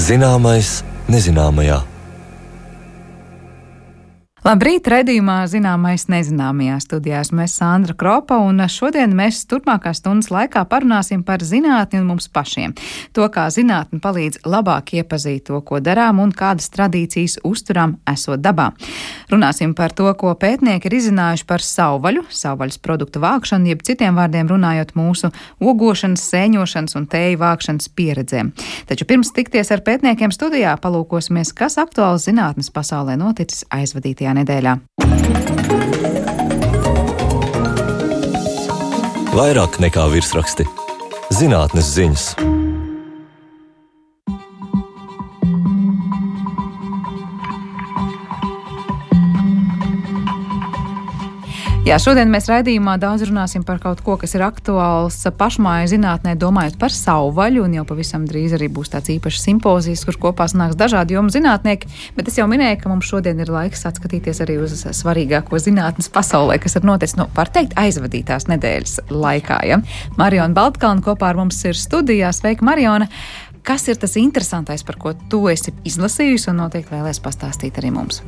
Zināmais nezināmajā. Labrīt, raidījumā Zināmais nezināmajā studijā esmu Sandra Kropa, un šodien mēs turpmākās stundas laikā parunāsim par zinātni un mums pašiem. To, kā zinātne palīdz labāk iepazīt to, ko darām un kādas tradīcijas uzturam esot dabā. Runāsim par to, ko pētnieki ir izzinājuši par savvaļu, savvaļas produktu vākšanu, jeb citiem vārdiem runājot mūsu ogošanas, sēņošanas un tēju vākšanas pieredzēm. Taču pirms tikties ar pētniekiem studijā palūkosimies, kas aktuāls zinātnes pasaulē noticis aizvadītajā nedēļā. Vairāk nekā virsraksti. Zinātnes ziņas. Jā, šodien mēs raidījumā daudz runāsim par kaut ko, kas ir aktuāls pašmāju zinātnē, domājot par savvaļu, un jau pavisam drīz arī būs tāds īpašs simpozijas, kur kopā sanāks dažādi jomu zinātnieki, bet es jau minēju, ka mums šodien ir laiks atskatīties arī uz svarīgāko zinātnes pasaulē, kas ir noticis, var teikt, aizvadītās nedēļas laikā. Ja? Mariona Baltkalna kopā ar mums ir studijā. Sveika, Mariona! Kas ir tas interesantais, par ko tu esi izlasījusi un noteikti vēlēs pastāstīt arī mums?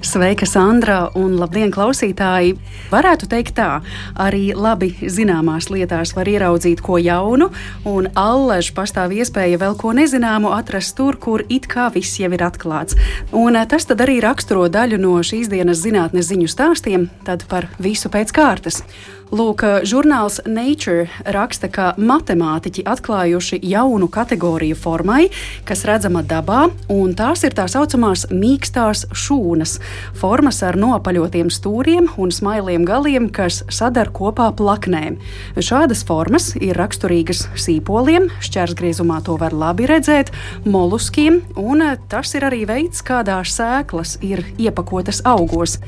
Sveika, Sandra, un labdien, klausītāji! Varētu teikt tā, arī labi zināmās lietās var ieraudzīt ko jaunu, un allaž pastāv iespēja vēl ko nezināmu atrast tur, kur it kā viss jau ir atklāts. Un tas tad arī raksturo daļu no šīs dienas zinātnes ziņu stāstiem, tad par visu pēc kārtas. Lūk, žurnāls Nature raksta, ka matemātiķi atklājuši jaunu kategoriju formai, kas redzama dabā, un tās ir tā saucamās mīkstās šūnas, formas ar nopaļotiem stūriem un smailiem galiem, kas sadar kopā plaknēm. Šādas formas ir raksturīgas sīpoliem, šķērsgriezumā to var labi redzēt, moluskiem, un tas ir arī veids, kādā sēklas ir iepakotas augos.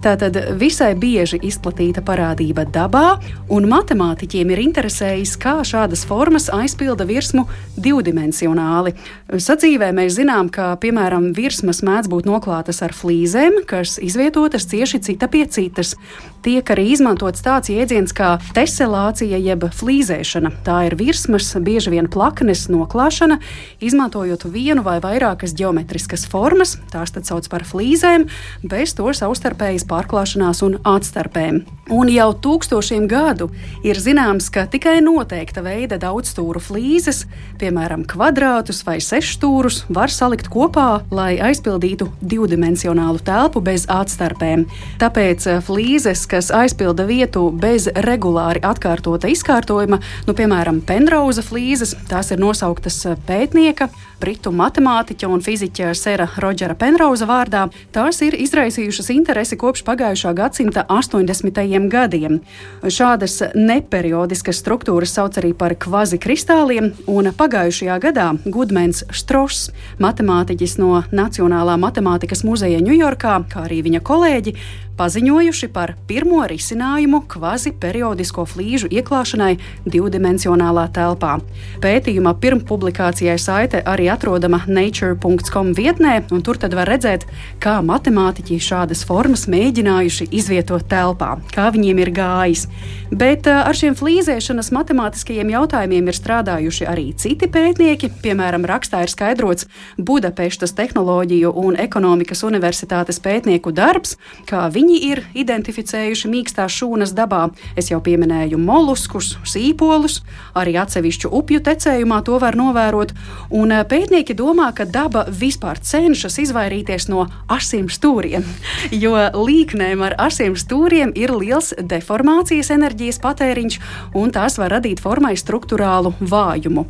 Tātad visai bieži izplatīta parādība dabā, un matemātiķiem ir interesējis, kā šādas formas aizpilda virsmu divdimensionāli. Sadzīvē mēs zinām, ka, piemēram, virsmas mēdz būt noklātas ar flīzēm, kas izvietotas cieši cita pie citas. Tiek arī izmantots tāds jēdziens kā teselācija jeb flīzēšana. Tā ir virsmas, bieži vien plaknes noklāšana, izmantojot vienu vai vairākas ģeometriskas formas, tās tad sauc par flīzēm, bez to savstarpējas pārklāšanās un atstarpēm. Un jau tūkstošiem gadu ir zināms, ka tikai noteikta veida daudzstūru flīzes, piemēram, kvadrātus vai sešstūrus, var salikt kopā, lai aizpildītu divdimensionālu telpu bez atstarpēm. Tāpēc flīzes, kas aizpilda vietu bez regulāri atkārtota izkārtojuma, piemēram, Penrauza flīzes, tās ir nosauktas pētnieka, britu matemātiķa un fiziķa Sera Rodžera Penrauza vārdā, tās ir izraisījušas interesi kopš pagājušā gadsimta 80. gadiem. Šādas neperiodiskas struktūras sauc arī par kvazikristāliem, un pagājušajā gadā Gudmens Štross, matemātiķis no Nacionālā matemātikas muzeja Ņujorkā, kā arī viņa kolēģi, paziņojuši par pirmo risinājumu kvaziperiodisko flīžu ieklāšanai divdimensionālā telpā. Pētījuma pirmpublikācijai saite arī atrodama nature.com vietnē, un tur tad var redzēt, kā matemātiķi šādas formas mēģinājuši izvietot telpā, kā viņiem ir gājis. Bet ar šiem flīzēšanas matemātiskajiem jautājumiem ir strādājuši arī citi pētnieki. Piemēram, rakstā ir skaidrots Budapeštas Tehnoloģiju un ekonomikas universitātes pētnieku darbs, kā viņi ir identificējuši mīkstās šūnas dabā. Es jau pieminēju moluskus, sīpolus, arī atsevišķu upju tecējumā to var novērot. Un pētnieki domā, ka daba vispār cenšas izvairīties no asiem stūriem, jo līknēm ar asiem stūriem ir liels deformācijas enerģijas patēriņš, un tās var radīt formai strukturālu vājumu.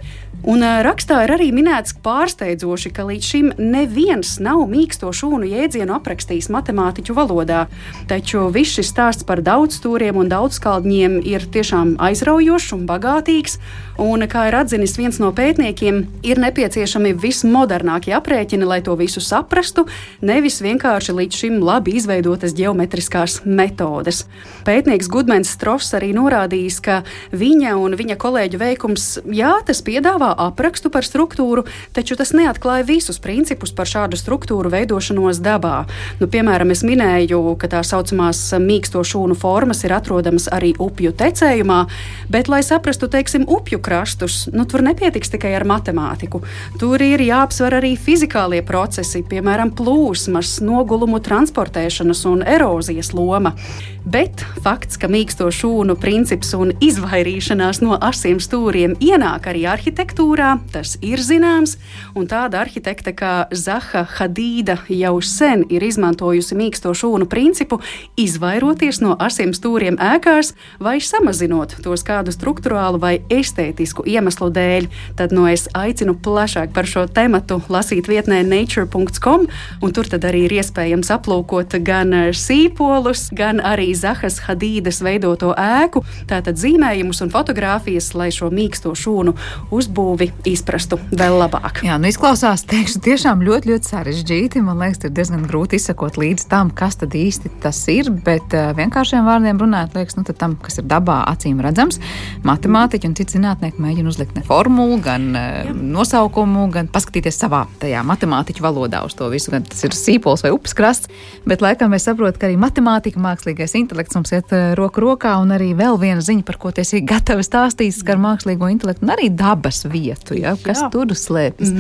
Un rakstā ir arī minēts pārsteidzoši, ka līdz šim neviens nav mīksto šūnu jēdzienu aprakstījis matemātiķu valodā. Taču viss šis stāsts par daudzstūriem un daudzskaldņiem ir tiešām aizraujošs un bagātīgs. Un, kā ir atzinis viens no pētniekiem, ir nepieciešami vismodernākie aprēķini, lai to visu saprastu, nevis vienkārši līdz šim labi izveidotas ģeometriskās metodes. Pētnieks Gudmens Štross arī norādījis, ka viņa un viņa kolēģu veikums, jā, tas piedāvā aprakstu par struktūru, taču tas neatklāja visus principus par šādu struktūru veidošanos dabā. Piemēram, es minēju, ka tā saucamās mīksto šūnu formas ir atrodamas arī upju tecējumā, bet, lai saprastu, teiksim, upju krastus, tur nepietiks tikai ar matemātiku. Tur ir jāapsver arī fizikālie procesi, piemēram, plūsmas, nogulumu transportēšanas un erozijas loma. Bet fakts, ka mīksto šūnu princips un izvairīšanās no asiem stūriem ienāk arī arhitektūrā, tas ir zināms, un tāda arhitekta kā Zaha Hadīda jau sen ir izmantojusi mīksto šūnu principu, izvairoties no asiem stūriem ēkās vai samazinot tos kādu strukturālu vai estētisku iemeslu dēļ. Tad es aicinu plašāk par šo tematu lasīt vietnē nature.com, un tur tad arī ir iespējams aplūkot gan sīpolus, gan arī Zahas Hadīdas veidoto ēku, tātad zīmējumus un fotogrāfijas, lai šo mīksto šūnu uzbūvi izprastu vēl labāk. Jā, izklausās, teikšu, tiešām ļoti, ļoti sarežģīti. Man liekas, ir diezgan grūti izsakot līdz tam, kas tad īsti tas ir, bet vienkāršiem vārdiem runāt, liekas, tad tam, kas ir dabā acīm redzams, matemātiķi un citi zinātnieki mēģina uzlikt ne formulu, gan nosaukumu, gan paskatīties savā tajā matemātiķu valodā uz to visu, gan tas ir sīpols vai upes krasts, bet laikam es saprotu, ka arī matemātika, mākslīgais intelekts mums iet roku rokā, un arī vēl viena ziņa, par ko tiesi gatavi stāstīt, skar mākslīgo intelektu un arī dabas vietu, ja? Kas tur slēpjas.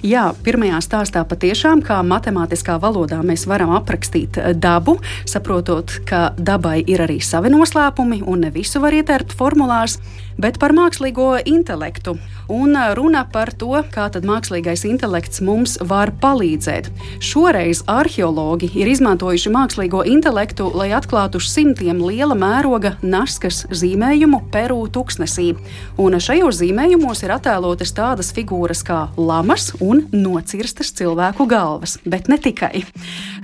Jā, pirmajā stāstā patiešām, kā matemātiskā valodā mēs varam aprakstīt dabu, saprotot, ka dabai ir arī savi noslēpumi un ne visu var ietērpt formulās, bet par mākslīgo intelektu. Un runa par to, kā tad mākslīgais intelekts mums var palīdzēt. Šoreiz arheologi ir izmantojuši mākslīgo intelektu, lai atklātu simtiem liela mēroga naskas zīmējumu Peru tuksnesī. Un šajos zīmējumos ir attēlotas tādas figūras kā lamas un nocirstas cilvēku galvas, bet ne tikai.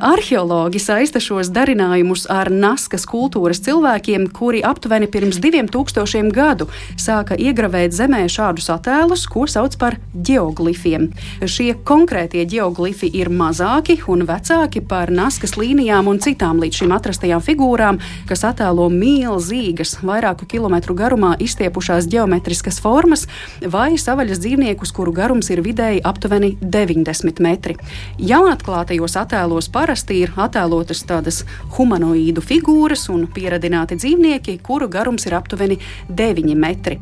Arheologi saista šos darinājumus ar naskas kultūras cilvēkiem, kuri aptuveni pirms 2000 gadu sāka iegravēt zemē šādus attēlus, ko sauc par ģeoglifiem. Šie konkrētie ģeoglifi ir mazāki un vecāki par naskas līnijām un citām līdz šim atrastajām figūrām, kas attēlo milzīgas, vairāku kilometru garumā izstiepušās ģeometriskas formas vai savaļas dzīvniekus, kuru garums ir vidēji aptuveni 90 metri. Jaunatklātajos attēlos parasti ir attēlotas tādas humanoīdu figūras un pieradināti dzīvnieki, kuru garums ir aptuveni 9 metri.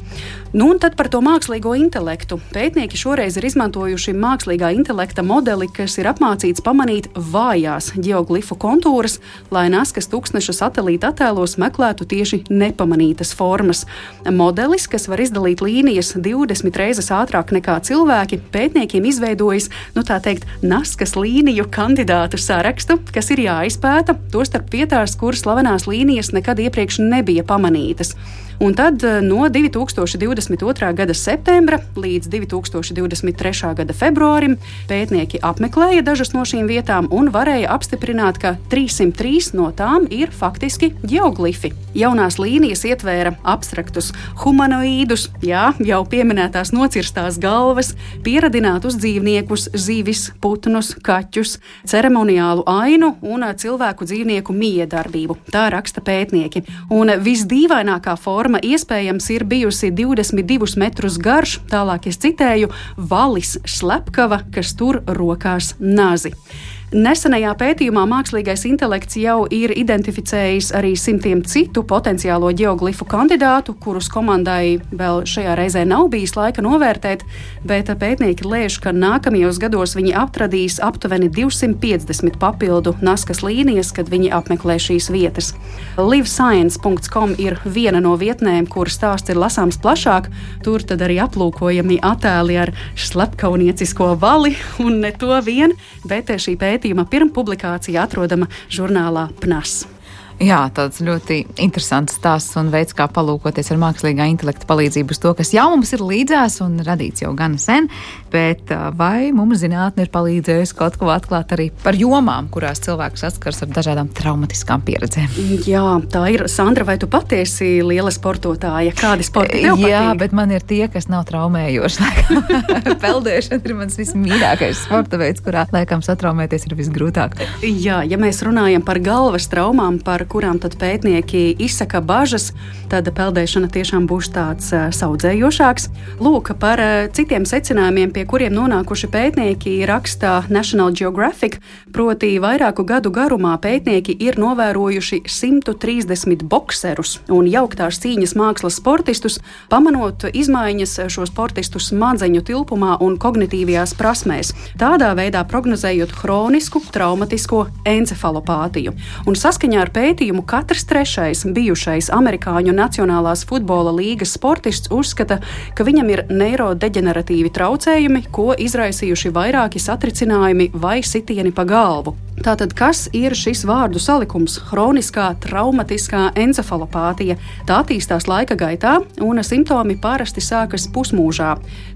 Un tad par to mākslīgo intelektu. Pētnieki šoreiz ir izmantojuši mākslīgā intelekta modeli, kas ir apmācīts pamanīt vājās ģeoglifu kontūras, lai naskas tuksneša satelīta attēlos meklētu tieši nepamanītas formas. Modelis, kas var izdalīt līnijas 20 reizes ātrāk nekā cilvēki, pētniekiem izveidojis, tā teikt, naskas līniju kandidātu sarakstu, kas ir jāizpēta, tostarp vietās, kur slavenās līnijas nekad iepriekš nebija pamanītas. Un tad no 2022. gada septembra līdz 2023. gada februārim pētnieki apmeklēja dažas no šīm vietām un varēja apstiprināt, ka 303 no tām ir faktiski ģeoglifi. Jaunās līnijas ietvēra abstraktus humanoīdus, jau pieminētās nocirstās galvas, pieradinātus dzīvniekus, zivis, putnus, kaķus, ceremoniālu ainu un cilvēku dzīvnieku miedarbību. Tā raksta pētnieki. Un visdīvainākā forma iespējams ir bijusi 22 metrus garš, tālāk es citēju, valis slepkava, kas tur rokās nazi. Nesenajā pētījumā mākslīgais intelekts jau ir identificējis arī simtiem citu potenciālo ģeoglifu kandidātu, kurus komandai vēl šajā reizē nav bijis laika novērtēt, bet pētnieki lēš, ka nākamajos gados viņi atradīs aptuveni 250 papildu naskas līnijas, kad viņi apmeklē šīs vietas. livescience.com ir viena no vietnēm, kur stāsts ir lasāms plašāk. Tur tad arī aplūkojami attēli ar slepkauniecisko vali un ne to vien, bet šī pētījuma pirmpublikācija atrodama žurnālā PNAS. Jā, tāds ļoti interesants stāsts un veids, kā palūkoties ar mākslīgā intelekta palīdzību uz to, kas jau mums ir līdzās un radīts jau gan sen, bet vai mums zinātne ir palīdzējusi kaut ko atklāt arī par jomām, kurās cilvēks saskars ar dažādām traumatiskām pieredzēm? Jā, tā ir. Sandra, vai tu patiesi liela sportotāja? Kādi sporti tev patīk? Jā, bet man ir tie, kas nav traumējoši. Peldēšana ir mans vismīļākais sporta veids, kurā laikam satraumēties ir visgrūtāk. Jā, ja mēs runājam par galvas traumām, par par kurām tad pētnieki izsaka bažas, tad peldēšana tiešām būs tāds saudzējošāks. Lūk, par citiem secinājumiem, pie kuriem nonākuši pētnieki, raksta National Geographic, proti vairāku gadu garumā pētnieki ir novērojuši 130 bokserus un jauktās cīņas mākslas sportistus, pamanot izmaiņas šo sportistu smadzeņu tilpumā un kognitīvajās prasmēs, tādā veidā prognozējot hronisku traumatisko encefalopātiju. Un saskaņā ar pētījumu katrs trešais bijušais amerikāņu Nacionālās futbola līgas sportists uzskata, ka viņam ir neirodeģeneratīvi traucējumi, ko izraisījuši vairāki satricinājumi vai sitieni pa galvu. Tātad, kas ir šis vārdu salikums? Hroniskā traumatiskā encefalopātija. Tā attīstās laika gaitā, un simptomi parasti sākas pusmūžā.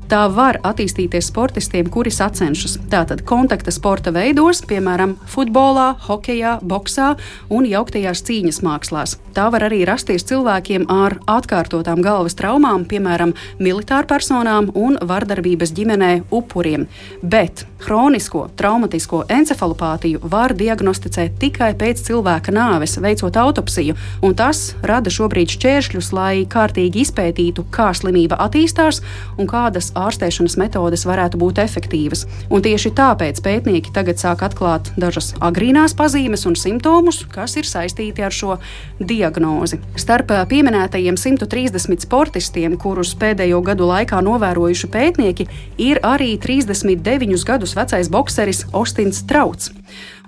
Tā var attīstīties sportistiem, kuri sacenšas. Tātad kontakta sporta veidos, piemēram, futbolā, hokejā, boksā un jauktajās cīņas mākslās. Tā var arī rasties cilvēkiem ar atkārtotām galvas traumām, piemēram, militārpersonām un vardarbības ģimenē upuriem. Bet hronisko traumatisko encefalopātiju var diagnosticēt tikai pēc cilvēka nāves, veicot autopsiju, un tas rada šobrīd šķēršļus, lai kārtīgi izpētītu, kā slimība attīstās un kādas ārstēšanas metodes varētu būt efektīvas. Un tieši tāpēc pētnieki tagad sāk atklāt dažas agrīnās pazīmes un simptomus, kas ir saistīti ar šo diagnozi. Starp pieminētajiem 130 sportistiem, kurus pēdējo gadu laikā novērojuši pētnieki, ir arī 39 gadus vecais bokseris Ostins Trauts.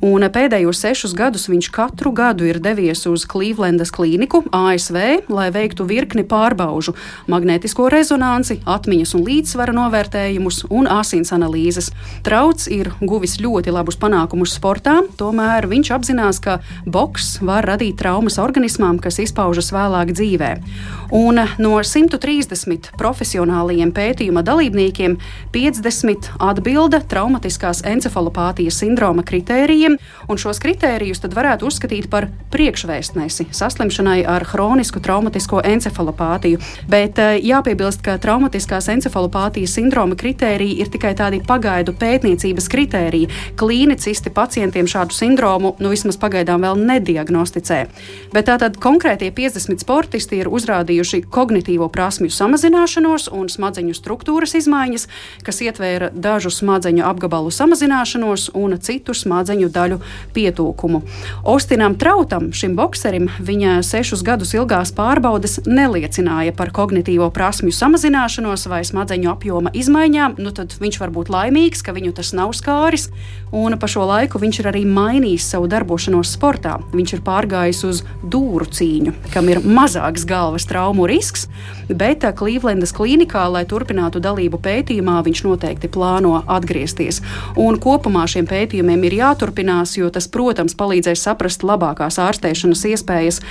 Un pēdējos 6 gadus viņš katru gadu ir devies uz Klīvlendas klīniku ASV, lai veiktu virkni pārbaužu, magnētisko rezonanci, atmiņas un līdzsvara novērtējumus un asins analīzes. Trauts ir guvis ļoti labus panākumus sportā, tomēr viņš apzinās, ka boks var radīt traumas organismām, kas izpaužas vēlāk dzīvē. Un no 130 profesionālajiem pētījuma dalībniekiem 50 atbilda traumatiskās encefalopātijas sindroma kritērijiem, un šos kritērijus tad varētu uzskatīt par priekšvēstnesi saslimšanai ar hronisku traumatisko encefalopātiju. Bet jāpiebilst, ka traumatiskās encefalopātijas sindroma kritēriji ir tikai tādi pagaidu pētniecības kritēriji. Klīnicisti pacientiem šādu sindromu vismaz pagaidām vēl nediagnosticē. Bet tātad konkrētie 50 sportisti ir uzrādījuši kognitīvo prasmju samazināšanos un smadzeņu struktūras izmaiņas, kas ietvēra dažu smadzeņu apgabalu samazināšanos un citu smadzeņu daļu pietūkumu. Ostinam Trautam, šim bokserim, viņa 6 gadus ilgās pārbaudes neliecināja par kognitīvo prasmju samazināšanos vai smadzeņu apjoma izmaiņām, tad viņš var būt laimīgs, ka viņu tas nav skāris, un pa šo laiku viņš ir arī mainījis savu darbošanos sportā. Viņš ir pārgājis uz dūru cīņu, kam ir mazāks galvas traumu risks, bet Klīvlendas klīnikā, lai turpinātu dalību pētījumā, viņš noteikti plāno atgriezties. Un kopumā šiem pētījumiem ir jāturpinās, jo tas, protams, palīdzēs saprast labākās ārstēšanas iespējas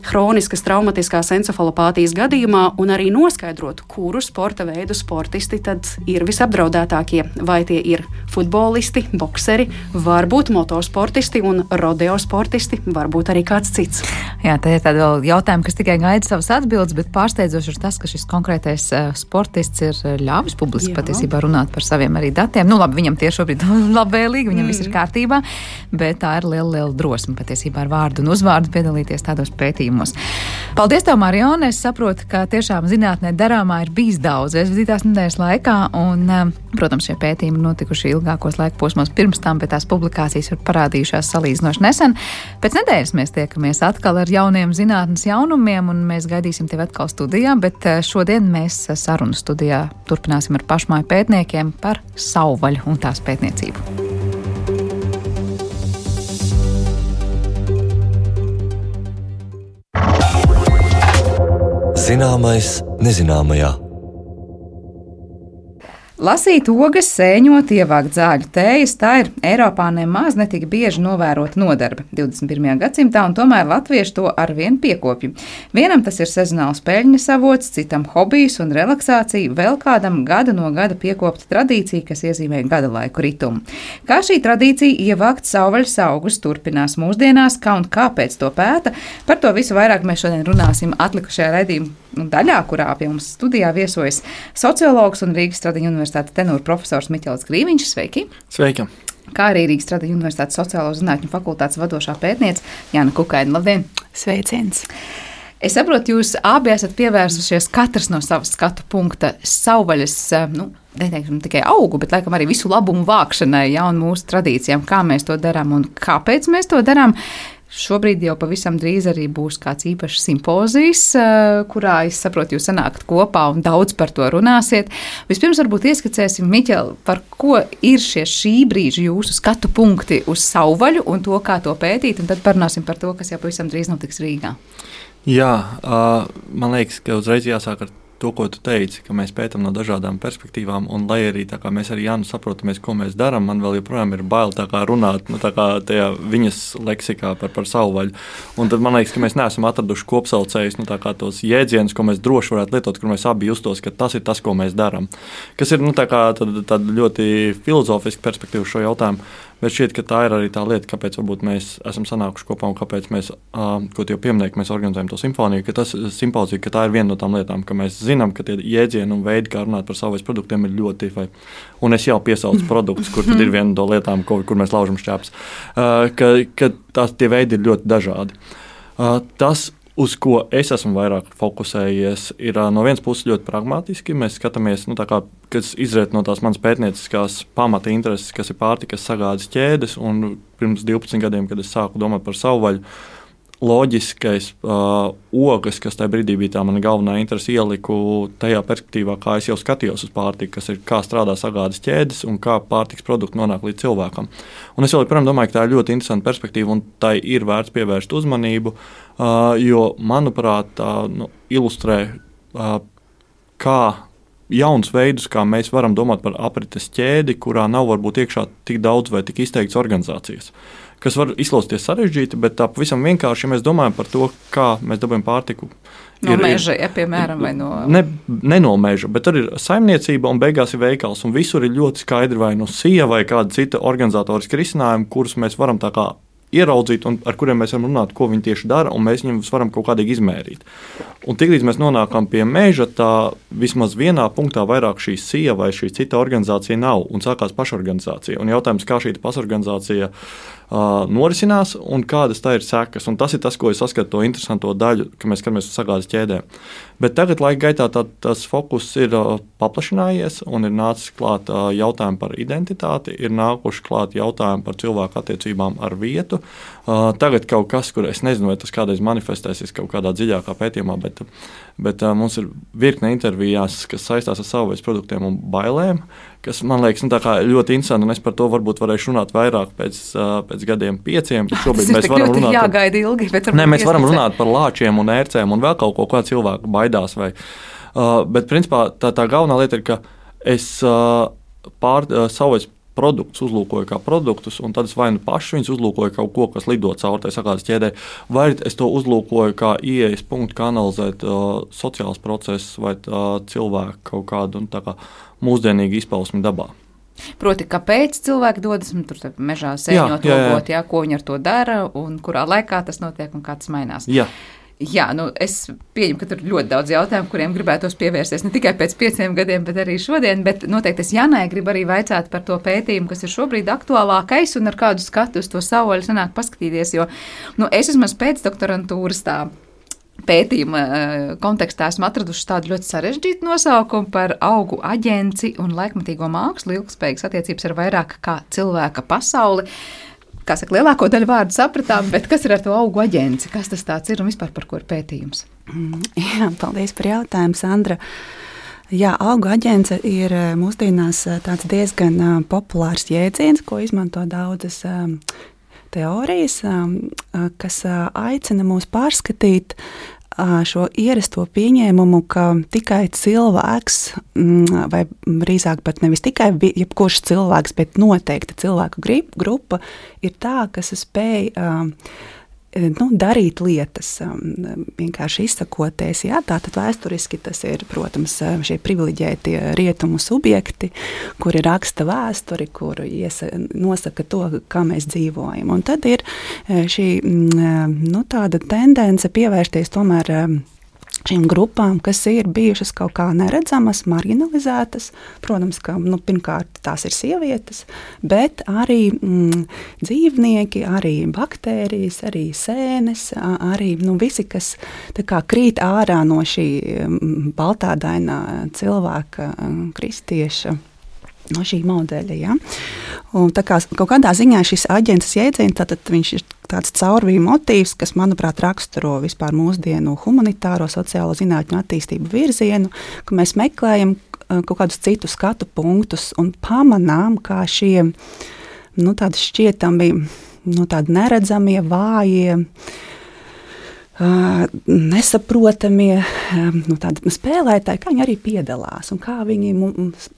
hroniskas traumatiskās encefalopātijas gadījumā un arī noskaidrot, kuru sporta veidu sportisti tad ir visapdraudētākie. Vai tie ir futbolisti, bokseri, varbūt motosportisti un rodeo sportisti, varbūt arī kāds cits. Jā, tā ir tāda vēl jautājuma, kas tikai gaida savas atbildes, bet pārsteidzoši ir tas, ka šis konkrētais sportists ir ļāvis publiski patiesībā runāt par saviem arī datiem. Labi, viņam tie šobrīd labvēlīgi, viņam viss ir kārtībā, bet tā ir liela drosme patiesībā ar vārdu un uzvārdu piedalīties tādos pētījumos. Paldies tev, Marione! Es saprotu, ka tiešām zinātnē darāmā ir bijis daudz aizvadītās nedēļas laikā, un, protams, šie pētījumi notikuši ilgākos laika posmos pirms tam, bet tās publikācijas ir parādījušās salīdzinoši nesen. Pēc nedēļas mēs tiekamies atkal ar jauniem zinātnes jaunumiem, un mēs gaidīsim tevi atkal studijā, bet šodien mēs sarunu studijā turpināsim ar pašmāju pētniekiem par savvaļu un tās pētniecību. Zināmais nezināmajā. Lasīt ogas, sēņot, ievākt zāļu tējas, tā ir Eiropā nemaz netik bieži novērota nodarbe 21. gadsimtā, un tomēr latvieši to arvien piekopja. Vienam tas ir sezonāls peļņas avots, citam hobijs un relaksācija, vēl kādam gada no gada piekopta tradīcija, kas iezīmē gada laiku ritumu. Kā šī tradīcija ievākt savvaļas augus turpinās mūsdienās, kā un kāpēc to pēta, par to visu vairāk mēs šodien runāsim atlikušajā raidījuma daļā, kurā pie mums studijā viesojas sociologs un Rīgas Stradiņa universitātes tenūra profesors Miķels Grīviņš. Sveiki! Sveiki! kā arī Rīgas Tradiņu Universitātes sociālo zinātņu fakultātes vadošā pētniece Jāna Kukaina. Labdien! Sveiciens! Es saprotu, jūs abi esat pievērsušies katrs no savas skatu punkta savvaļas, neteiksim tikai augu, bet laikam arī visu labumu vākšanai, un mūsu tradīcijām, kā mēs to darām un kāpēc mēs to darām. Šobrīd jau pavisam drīz arī būs kāds īpašs simpozijs, kurā, es saprotu, jūs sanākat kopā un daudz par to runāsiet. Vispirms varbūt ieskicēsim, Miķel, par ko ir šī brīža jūsu skatu punkti uz savvaļu un to, kā to pētīt, un tad parunāsim par to, kas jau pavisam drīz notiks Rīgā. Jā, man liekas, ka uzreiz jāsāk ar to, ko tu teici, ka mēs pētām no dažādām perspektīvām, un lai arī tā kā mēs ar Jānu saprotamies, ko mēs darām, man vēl joprojām ir bail tā kā runāt, tā kā tajā viņas leksikā par savvaļu. Un tad man liekas, ka mēs neesam atraduši kopsaucējus, tā kā tos jēdzienus, ko mēs droši varētu lietot, kur mēs abi justos, ka tas ir tas, ko mēs darām. Kas ir, tā kā tāda ļoti filozofiska perspektīva šo jautājumu. Bet šķiet, ka tā ir arī tā lieta, kāpēc varbūt mēs esam sanākuši kopā un kāpēc mēs, ko tu jau pieminēji, ka mēs organizējam to simfoniju, ka tas simpozija, ka tā ir viena no tām lietām, ka mēs zinām, ka tie jēdzieni un veidi, kā runāt par savvaļas produktiem, ir ļoti, un es jau piesaucu produktus, kur tad ir viena no lietām, kur mēs laužam šķēpes, ka tie veidi ir ļoti dažādi. Tas, uz ko es esmu vairāk fokusējies, ir no vienas puses ļoti pragmatiski. Mēs skatāmies, kas izriet no tās manas pētnieciskās pamata intereses, kas ir pārtikas sagādes ķēdes. Un pirms 12 gadiem, kad es sāku domāt par savvaļu, loģiskais ogas, kas tajā brīdī bija tā mana galvenā interese, ieliku tajā perspektīvā, kā es jau skatījos uz pārtiku, kas ir kā strādā sagādes ķēdes un kā pārtikas produkti nonāk līdz cilvēkam. Un es joprojām domāju, ka tā ir ļoti interesanta perspektīva un tai ir vērts pievērst uzmanību, jo, manuprāt, tā ilustrē, kā jauns veidus, kā mēs varam domāt par aprites ķēdi, kurā nav varbūt iekšā tik daudz vai tik izteikts organizācijas, kas var izklausīties sarežģīti, bet tā pavisam vienkārši, ja mēs domājam par to, kā mēs dabūjam pārtiku. No meža, ja, piemēram, vai no... Ne no meža, bet tur ir saimniecība un beigās ir veikals, un visur ir ļoti skaidri vai no SIA vai kāda cita organizatoriska risinājuma, kurus mēs varam tā kā ieraudzīt un ar kuriem mēs varam runāt, ko viņi tieši dara, un mēs viņus varam kaut kādīgi izmērīt. Un tiklīdz mēs nonākam pie meža, tā vismaz vienā punktā vairāk šī SIA vai šī cita organizācija nav, un sākās pašorganizācija. Un jautājums, kā šī pašorganizācija norisinās un kādas tā ir sekas. Un tas ir tas, ko es saskatu to interesanto daļu, ka mēs skatāmies uz sagādes ķēdēm. Bet tagad laika gaitā tas fokus ir paplašinājies un ir nācis klāt jautājumi par identitāti, ir nākuši klāt jautājumi par cilvēku attiecībām ar vietu. Tagad kaut kas, kur es nezinu, vai tas kādreiz manifestēsies kaut kādā dziļākā pētījumā, bet mums ir virkne intervijās, kas saistās ar savvaļas produktiem un bailēm, kas man liekas ļoti interesanti, un es par to varbūt varēšu runāt vairāk pēc gadiem 5. Šobrīd mēs varam runāt jāgaida ilgi, bet mēs varam runāt par lāčiem un ērcēm un vēl kaut ko, kā cilvēku baidās. Bet principā tā galvenā lieta ir, ka es savvaļas produktus uzlūkoju kā produktus, un tad es vai nu paši viņus uzlūkoju kaut ko, kas lido caur tai sagādes ķēdē, vai es to uzlūkoju kā ieejas punktu, kā analizēt sociāls process vai cilvēku kaut kādu kā mūsdienīgu izpausmi dabā. Proti, kāpēc cilvēki dodas tur mežā sēņot, logot, ko viņi ar to dara, un kurā laikā tas notiek un kā tas mainās. Jā, es pieņemu, ka tur ir ļoti daudz jautājumu, kuriem gribētos pievērsties ne tikai pēc 5 gadiem, bet arī šodien. Bet noteikti es Janai gribu arī vaicāt par to pētījumu, kas ir šobrīd aktuālākais un ar kādu skatu uz to savvaļu sanāk paskatīties. Jo es vismaz pēcdoktorantūras pētījuma kontekstā esmu atraduši tādu ļoti sarežģītu nosaukumu par augu aģenci un laikmatīgo mākslu, ilgspējīgas attiecības ar vairāk kā cilvēka pasauli. Kā saka, lielāko daļu vārdu sapratām, bet kas ir ar to augu aģenci? Kas tas tāds ir un vispār par ko ir pētījums? Jā, paldies par jautājumu, Sandra. Jā, augu aģence ir mūsdienās tāds diezgan populārs jēdziens, ko izmanto daudzas teorijas, kas aicina mūs pārskatīt šo ierasto pieņēmumu, ka tikai cilvēks, vai drīzāk pat nevis tikai jebkurš cilvēks, bet noteikta cilvēku grupa ir tā, kas spēj darīt lietas, vienkārši izsakoties. Jā, tātad vēsturiski tas ir, protams, šie privileģētie rietumu subjekti, kuri raksta vēsturi, kuri nosaka to, kā mēs dzīvojam. Un tad ir šī tāda tendence pievērsties tomēr šīm grupām, kas ir bijušas kaut kā neredzamas, marginalizētas. Protams, ka pirmkārt tās ir sievietes, bet arī dzīvnieki, arī baktērijas, arī sēnes, arī visi, kas tā kā krīt ārā no šī baltādainā cilvēka, kristieša, no šī modeļa. Ja? Un tā kā kaut kādā ziņā šis aģents jēdziens, tātad viņš ir tāds caurvīja motīvs, kas, manuprāt, raksturo vispār mūsdienu humanitāro, sociālo zinātņu attīstību virzienu, ka mēs meklējam kaut kādus citus skatu punktus un pamanām, kā šie tādi šķietami, tādi neredzamie, vājie, nesaprotamie tādi spēlētāji, kā viņi arī piedalās un kā viņi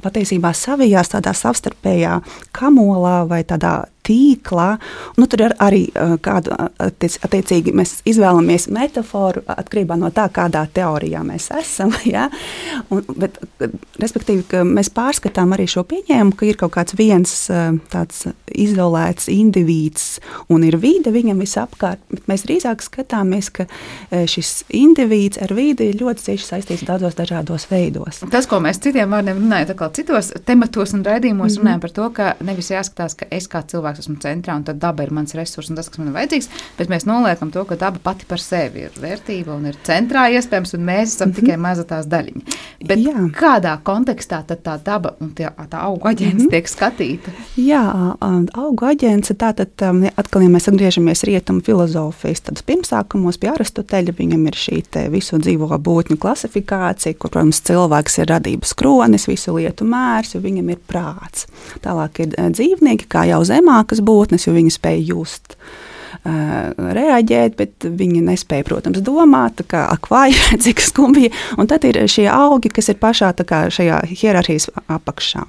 patiesībā savijās tādā savstarpējā kamolā vai tādā tīklā. Tur ir arī kādu attiecīgi mēs izvēlamies metaforu atkarībā no tā, kādā teorijā mēs esam. Ja? Bet, respektīvi, ka mēs pārskatām arī šo pieņēmumu, ka ir kaut kāds viens tāds izolēts indivīds un ir vide viņam visapkārt, bet mēs drīzāk skatāmies, ka šis indivīds ar vidi ir ļoti cieši saistīts daudzos dažādos veidos. Tas, ko mēs citiem vārdiem runājam, citos tematos un raidījumos runājam par to, ka nevis jāskatās, ka es kā cilvēks esmu centrā, un tad daba ir mans resurs un tas, kas man ir vajadzīgs, bet mēs noliekam to, ka daba pati par sevi ir vērtība un ir centrā iespējams, un mēs esam tikai maza tās daļiņa. Bet kādā kontekstā tad tā daba un tā augu aģents tiek skatīta? Jā, augu aģents, tātad atkal, ja mēs atgriežamies rietumu filozofijas, tad pirmsākumos pie Aristoteļa viņam ir šī te visu dzīvo būtņu klasifikācija, kur, protams, cilvēks ir radības kronis, visu lietu mērs, jo viņam ir prāts. Tālāk ir dzīvnieki, kā jau zemākas būtnes, jo viņi spēj just, reaģēt, bet viņi nespēja, protams, domāt, kā akvāji, cik skumbji, un tad ir šie augi, kas ir pašā tā kā šajā hierarhijas apakšā.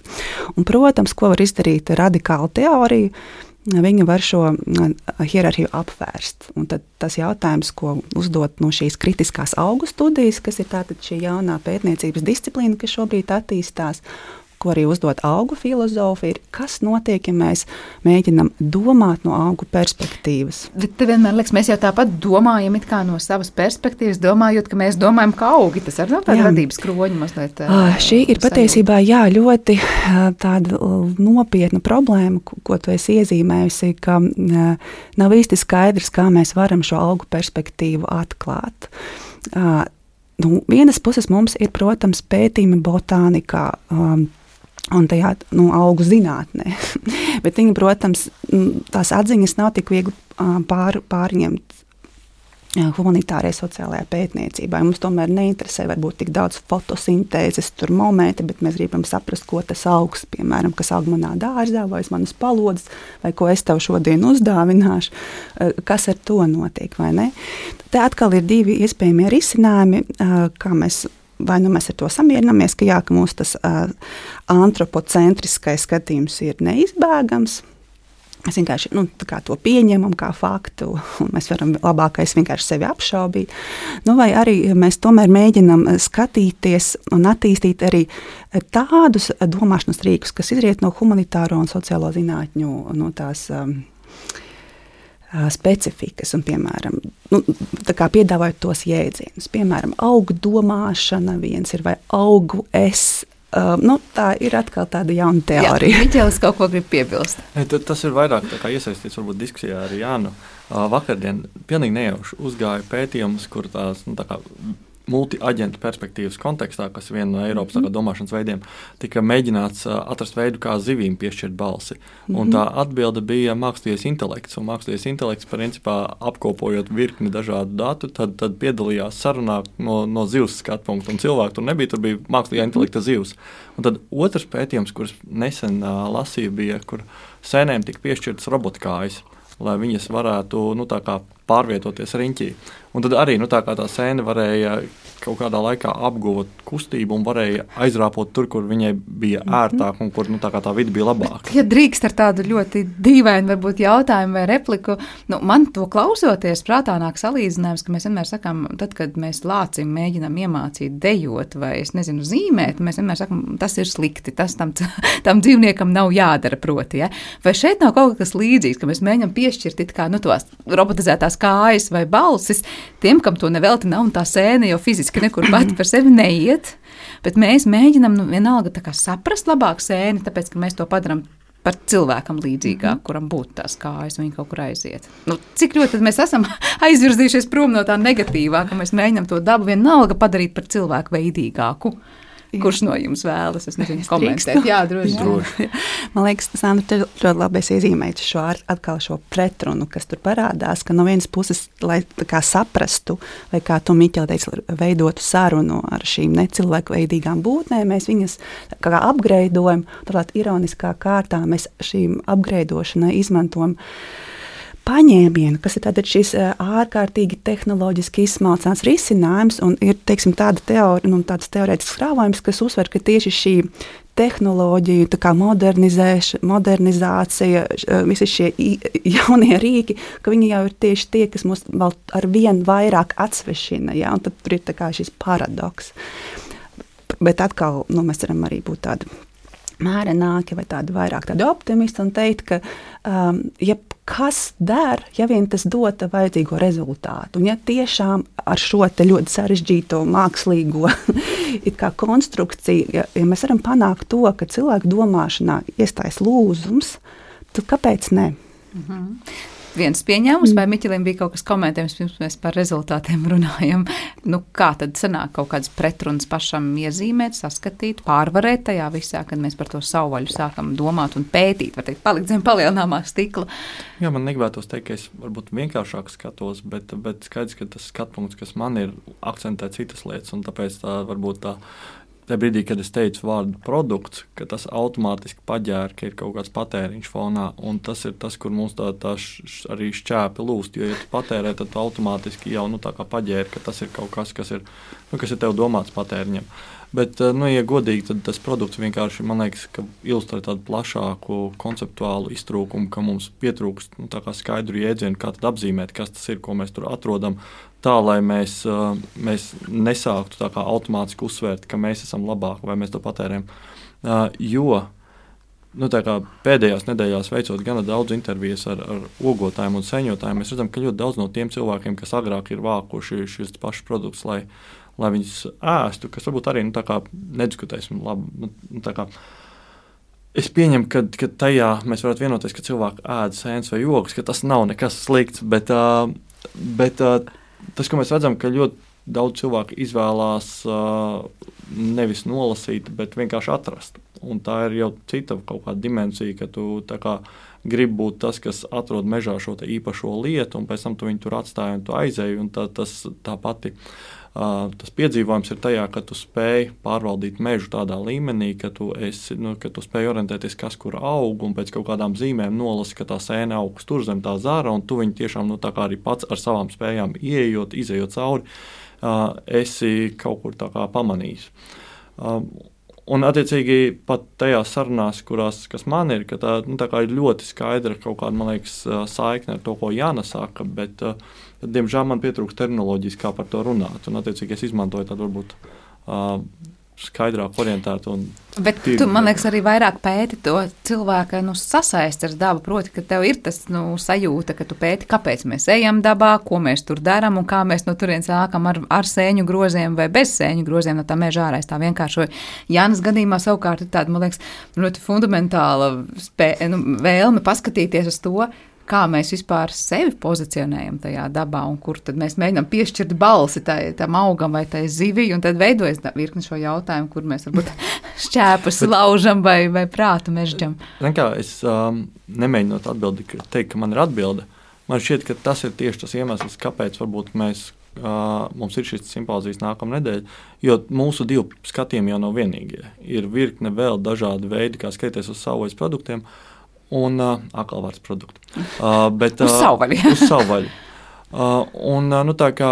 Un, protams, ko var izdarīt radikāla teorija, viņi var šo hierarhiju apvērst. Un tad tas jautājums, ko uzdot no šīs kritiskās augu studijas, kas ir tātad šī jaunā pētniecības disciplīna, kas šobrīd attīstās, ko arī uzdot augu filozofi, ir, kas notiek, ja mēs mēģinam domāt no augu perspektīvas. Bet te vienmēr liekas, mēs jau tāpat domājam it kā no savas perspektīvas, domājot, ka mēs domājam kā augi. Tas arī nav tāda radības kroņa mazliet. Šī ir patiesībā, ļoti tāda nopietna problēma, ko tu esi iezīmējusi, ka nav īsti skaidrs, kā mēs varam šo augu perspektīvu atklāt. Vienas puses mums ir, protams, pētījumi botānikā, un tajā augu zinātnē. Bet viņi, protams, tās atziņas nav tik viegli pārņemt humanitārai sociālajā pētniecībā. Mums tomēr neinteresē varbūt tik daudz fotosintēzes momenti, bet mēs gribam saprast, ko tas augs, piemēram, kas aug manā dārzā, vai manas palodzes, vai ko es tev šodien uzdāvināšu, kas ar to notiek, vai ne? Te atkal ir divi iespējamie risinājumi, kā mēs vai mēs ar to samierinamies, ka mūsu tas antropocentriskais skatījums ir neizbēgams. Mēs vienkārši to pieņemam kā faktu, un mēs varam labākais vienkārši sevi apšaubīt. Vai arī mēs tomēr mēģinam skatīties un attīstīt arī tādus domāšanas rīkus, kas izriet no humanitāro un sociālo zinātņu no tās specifikas, un, piemēram, piedāvājot tos jēdzienus. Piemēram, augu domāšana viens ir vai augu es. Tā ir atkal tāda jauna teorija. Miķelis kaut ko grib piebilst. Tas ir vairāk iesaistīts varbūt diskusijā ar Jānu. Vakardien pilnīgi nejauši uzgāja pētījums, kur tās multi-aģentu perspektīvas kontekstā, kas ir viena no Eiropas domāšanas veidiem, tika mēģināts atrast veidu, kā zivīm piešķirt balsi. Un tā atbilde bija mākslīgais intelekts. Un mākslīgais intelekts, principā, apkopojot virkni dažādu datu, tad piedalījās sarunā no zivs skatu punktu. Un cilvēku tur nebija, tur bija mākslīgā intelekta zivs. Un tad otrs pētījums, kurus nesen lasīju, bija, kur sēnēm tika piešķirtas robotkājas, lai viņas varētu pārvietoties riņķī. Un tad arī tā sēne varēja kaut kādā laikā apgūt, kustību un varēja aizrāpot tur, kur viņai bija ērtāk un kur tā vide bija labāka. Ja drīkst ar tādu ļoti dīvainu varbūt jautājumu vai repliku, man to klausoties prātā nāk salīdzinājums, ka mēs vienmēr sakām, tad, kad mēs lācim mēģinām iemācīt dejot vai, es nezinu, zīmēt, mēs vienmēr sakām, tas ir slikti, tas tam dzīvniekam nav jādara proti, ja? Vai šeit nav kaut kas līdzīgs, ka mēs mēģinām piešķirt it kā, tos robotizētās kājas vai balsis tiem, kam to nevelti nav, un tā sēne jau fiziski nekur pati par sevi neiet, bet mēs mēģinām vienalga tā kā saprast labāk sēni, tāpēc, ka mēs to padaram par cilvēkam līdzīgāk, kuram būtu tās kājas, un viņi kaut kur aiziet. Cik ļoti tad mēs esam aizvirzījušies prom no tā negatīvā, ka mēs mēģinām to dabu vienalga padarīt par cilvēku veidīgāku. Kurš no jums vēlas? Es nezinu, komentēt. Jā, droši. Man liekas, Sandra, te ļoti labi iezīmējis šo pretrunu, kas tur parādās, ka no vienas puses, lai kā saprastu, vai kā tu, Miķeli, teici, veidotu sarunu ar šīm necilvēku veidīgām būtnēm, mēs viņas kā apgreidojam, turklāt ironiskā kārtā mēs šīm apgreidošanai izmantojam paņēmienu, kas ir tātad šis ārkārtīgi tehnoloģiski izsmalcināts risinājums, un ir, teiksim, tāds teorētisks krāvojums, kas uzsver, ka tieši šī tehnoloģiju, tā kā modernizācija, visi šie jaunie rīki, ka viņi jau ir tieši tie, kas mūs vēl ar vien vairāk atsvešina, ja, un tad tur ir tā kā šis paradoks. Bet atkal, mēs varam arī būt tādi mērenāki vai tādi vairāk tādi optimisti un teikt, ka ja kas der, ja vien tas dota vajadzīgo rezultātu, un ja tiešām ar šo te ļoti sarežģīto mākslīgo it kā konstrukciju, ja mēs varam panākt to, ka cilvēku domāšanā iestājas lūzums, tad kāpēc ne? Viens pieņēmums, vai Miķelim bija kaut kas komentējums, pirms mēs par rezultātiem runājam. Kā tad sanāk kaut kādas pretrunas pašam iezīmēt, saskatīt, pārvarēt tajā visā, kad mēs par to savvaļu sākam domāt un pētīt, var teikt, palikt zem palielināmā stikla? Jā, man negribētos teikt, ka es varbūt vienkāršāk skatos, bet skaidrs, ka tas skatpunkts, kas man ir, akcentē citas lietas, un tāpēc tā varbūt tajā brīdī, kad es teicu vārdu produkts, ka tas automātiski paģēra, ka ir kaut kāds patēriņš fonā, un tas ir tas, kur mums arī šķēpi lūst, jo, ja tu patērē, tad tu automātiski jau tā kā paģēri, ka tas ir kaut kas, kas ir tev domāts patēriņam. Bet, ja godīgi, tad tas produkts vienkārši, man liekas, ka ilustrē tādu plašāku konceptuālu iztrūkumu, ka mums pietrūkst tā kā skaidru jēdzienu, kā tad apzīmēt, kas tas ir, ko mēs tur atrodam, tā, lai mēs nesāktu tā kā automātiski uzsvērt, ka mēs esam labāki vai mēs to patērējam. Jo tā kā pēdējās nedēļās veicot gana daudz intervijas ar ogotājiem un sēņotājiem, mēs redzam, ka ļoti daudz no tiem cilvēkiem, kas agrāk ir vākuši šis pašs produkts, lai viņus ēstu, kas varbūt arī tā kā nediskutēsim labi. Es pieņemu, ka tajā mēs varētu vienoties, ka cilvēki ēd sēnes vai ogas, ka tas nav nekas slikts, bet tas, ko mēs redzam, ka ļoti daudz cilvēku izvēlās nevis nolasīt, bet vienkārši atrast. Un tā ir jau cita kaut kāda dimensija, ka tu tā kā gribi būt tas, kas atrod mežā šo te īpašo lietu, un pēc tam tu viņu tur atstāji un tu aizēji, un tā pati tas piedzīvojums ir tajā, ka tu spēj pārvaldīt mežu tādā līmenī, ka tu spēj orientēties, kas kur aug, un pēc kaut kādām zīmēm nolasi, ka tā sēne augs tur zem tā zara, un tu viņu tiešām tā kā arī pats ar savām spējām ieejot, izejot cauri, esi kaut kur tā kā pamanījis. Un, attiecīgi, pat tajās sarunās, kas man ir, ka tā kā ir ļoti skaidra kaut kāda, man liekas, saikne ar to, ko Jāna saka, bet, diemžēl, man pietrūkst terminoloģijas, kā par to runāt. Un, attiecīgi, es izmantoju tādu varbūt skaidrāk orientētu. Bet tu, man liekas, arī vairāk pēti to cilvēku sasaisti ar dabu, proti, ka tev ir tas sajūta, ka tu pēti, kāpēc mēs ejam dabā, ko mēs tur darām un kā mēs no turienes sākam ar sēņu groziem vai bez sēņu groziem no tā meža ārā. Tā vienkāršoju. Jānas gadījumā savukārt ir tāda, man liekas, ļoti fundamentāla vēlme paskatīties uz to, kā mēs vispār sevi pozicionējam tajā dabā un kur tad mēs mēģinām piešķirt balsi tam augam vai tai zivij, un tad veidojas virkni šo jautājumu, kur mēs varbūt šķēpus laužam vai prātu mežģam. Es nemēģinot teikt, ka man ir atbilde. Man šķiet, ka tas ir tieši tas iemesls, kāpēc varbūt mums ir šis simpozijas nākamā nedēļa, jo mūsu divu skatījumi jau nav vienīgie. Ir virkne vēl dažādi veidi, kā skatīties uz savvaļas produktiem, un akalvārds produktu. Uz savvaļu. Uz savvaļu. Tā kā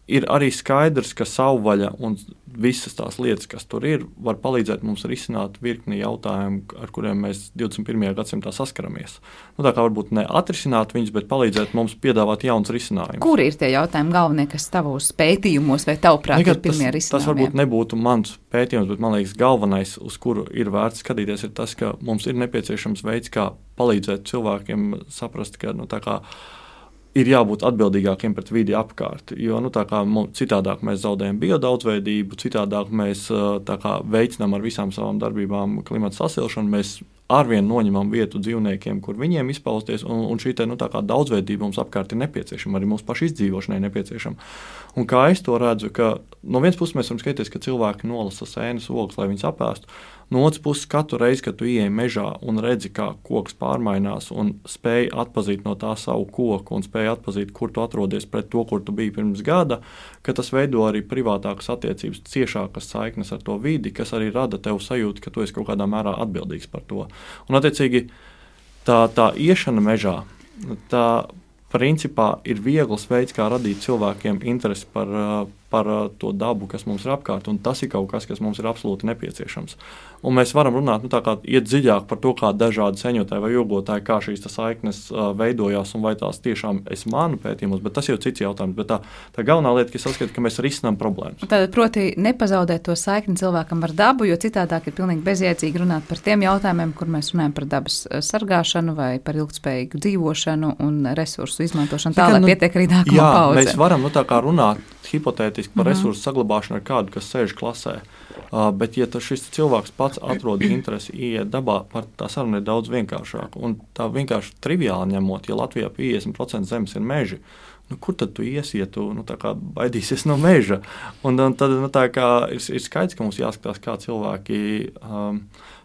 ir arī skaidrs, ka savvaļa un visas tās lietas, kas tur ir, var palīdzēt mums risināt virkni jautājumu, ar kuriem mēs 21. gadsimtā saskaramies. Tā kā varbūt ne atrisināt viņus, bet palīdzēt mums piedāvāt jauns risinājumus. Kuri ir tie jautājumi galvenie, kas tavos pētījumos vai tavuprāt ir pirmie risinājumi? Tas varbūt nebūtu mans pētījums, bet man liekas galvenais, uz kuru ir vērts skatīties, ir tas, ka mums ir nepieciešams veids, kā palīdzēt cilvēkiem saprast, ka ir jābūt atbildīgākiem pret vidi apkārt, jo citādāk mēs zaudējam biodaudzveidību, citādāk mēs veicinām ar visām savām darbībām klimata sasilšanu, mēs arvien noņemam vietu dzīvniekiem, kur viņiem izpausties, un šī daudzveidība mums apkārt ir nepieciešama, arī mūsu pašu izdzīvošanai nepieciešama. Un kā es to redzu, ka no vienas puses mēs varam skatīties, ka cilvēki nolasa sēnes ogas, lai viņas apēstu. No otras puses, katru reizi, kad tu ieej mežā un redzi, kā koks pārmainās un spēj atpazīt no tā savu koku un spēj atpazīt, kur tu atrodies pret to, kur tu biji pirms gada, ka tas veido arī privātākas attiecības, ciešākas saiknes ar to vidi, kas arī rada tev sajūtu, ka tu esi kaut kādā mērā atbildīgs par to. Un, attiecīgi, tā iešana mežā, tā principā ir viegls veids, kā radīt cilvēkiem interesi par to dabu, kas mums ir apkārt, un tas ir kaut kas, kas mums ir absolūti nepieciešams. Un mēs varam runāt, iet dziļāk par to, kā dažādi seņotāji vai jogotāji, kā šīs saiknes veidojās, un vai tās tiešām es manu pētījumus, bet tas jau cits jautājums. Bet tā galvenā lieta, ka es saskatu, ka mēs risinām problēmas. Tad, proti, nepazaudēt to saikni cilvēkam ar dabu, jo citādāk ir pilnīgi bezjēdzīgi runāt par tiem jautājumiem, kur mēs runājam par dabas sargāšanu vai par ilgtspējīgu dzīvošanu un resursu izmantošanu tā, lai pietiek arī nākamā paudze. Mēs varam runāt hipotētiski par resursu saglabāšanu ar kādu, kas sēž klasē. Bet, ja šis cilvēks pats atrod interesi ieiet dabā, tā saruna ir daudz vienkāršāka. Un tā vienkārši triviāli ņemot, ja Latvijā 50% zemes ir meži, kur tad tu iesi, ja tu baidīsies no meža? Un tad ir skaidrs, ka mums jāskatās, kā cilvēki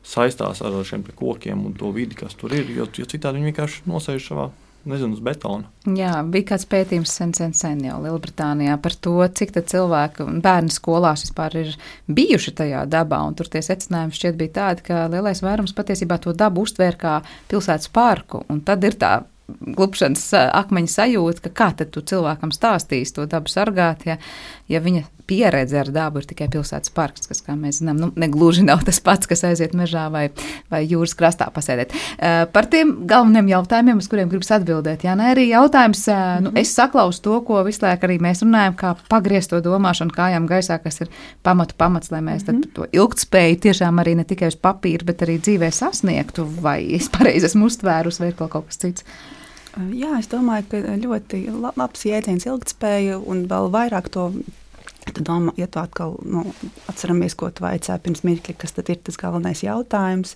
saistās ar šiem kokiem un to vidi, kas tur ir, jo citādi viņi vienkārši nosēž savā, uz betona. Jā, bija kāds pētījums sen jau Lielbritānijā par to, cik tad cilvēki un bērni skolās vispār ir bijuši tajā dabā, un tur tie secinājumi šķiet bija tādi, ka lielais vairums patiesībā to dabu uztvēr kā pilsētas parku, un tad ir tā glupšanas akmeņa sajūta, ka kā tad tu cilvēkam stāstīs to dabu sargāt, ja viņa pieredze ar dabu ir tikai pilsētas parks, kas, kā mēs zinām, negluži nav tas pats, kas aiziet mežā vai jūras krastā pasēdēt. Par tiem galveniem jautājumiem, uz kuriem gribas atbildēt, Jāna, arī jautājums, es saklausu to, ko visu laiku arī mēs runājam, kā pagriezt to domāšanu kājām gaisā, kas ir pamats, lai mēs tad to ilgtspēju tiešām arī ne tikai uz papīra, bet arī dzīvē sasniegtu, vai es pareizi esmu uztvērus, vai kaut kas cits. Jā, es domāju, ka ļoti labs jēdziens ilgtspēja un vēl vairāk to, ja tu atkal atceramies, ko tu vaicāji pirms mirkļa, kas tad ir tas galvenais jautājums.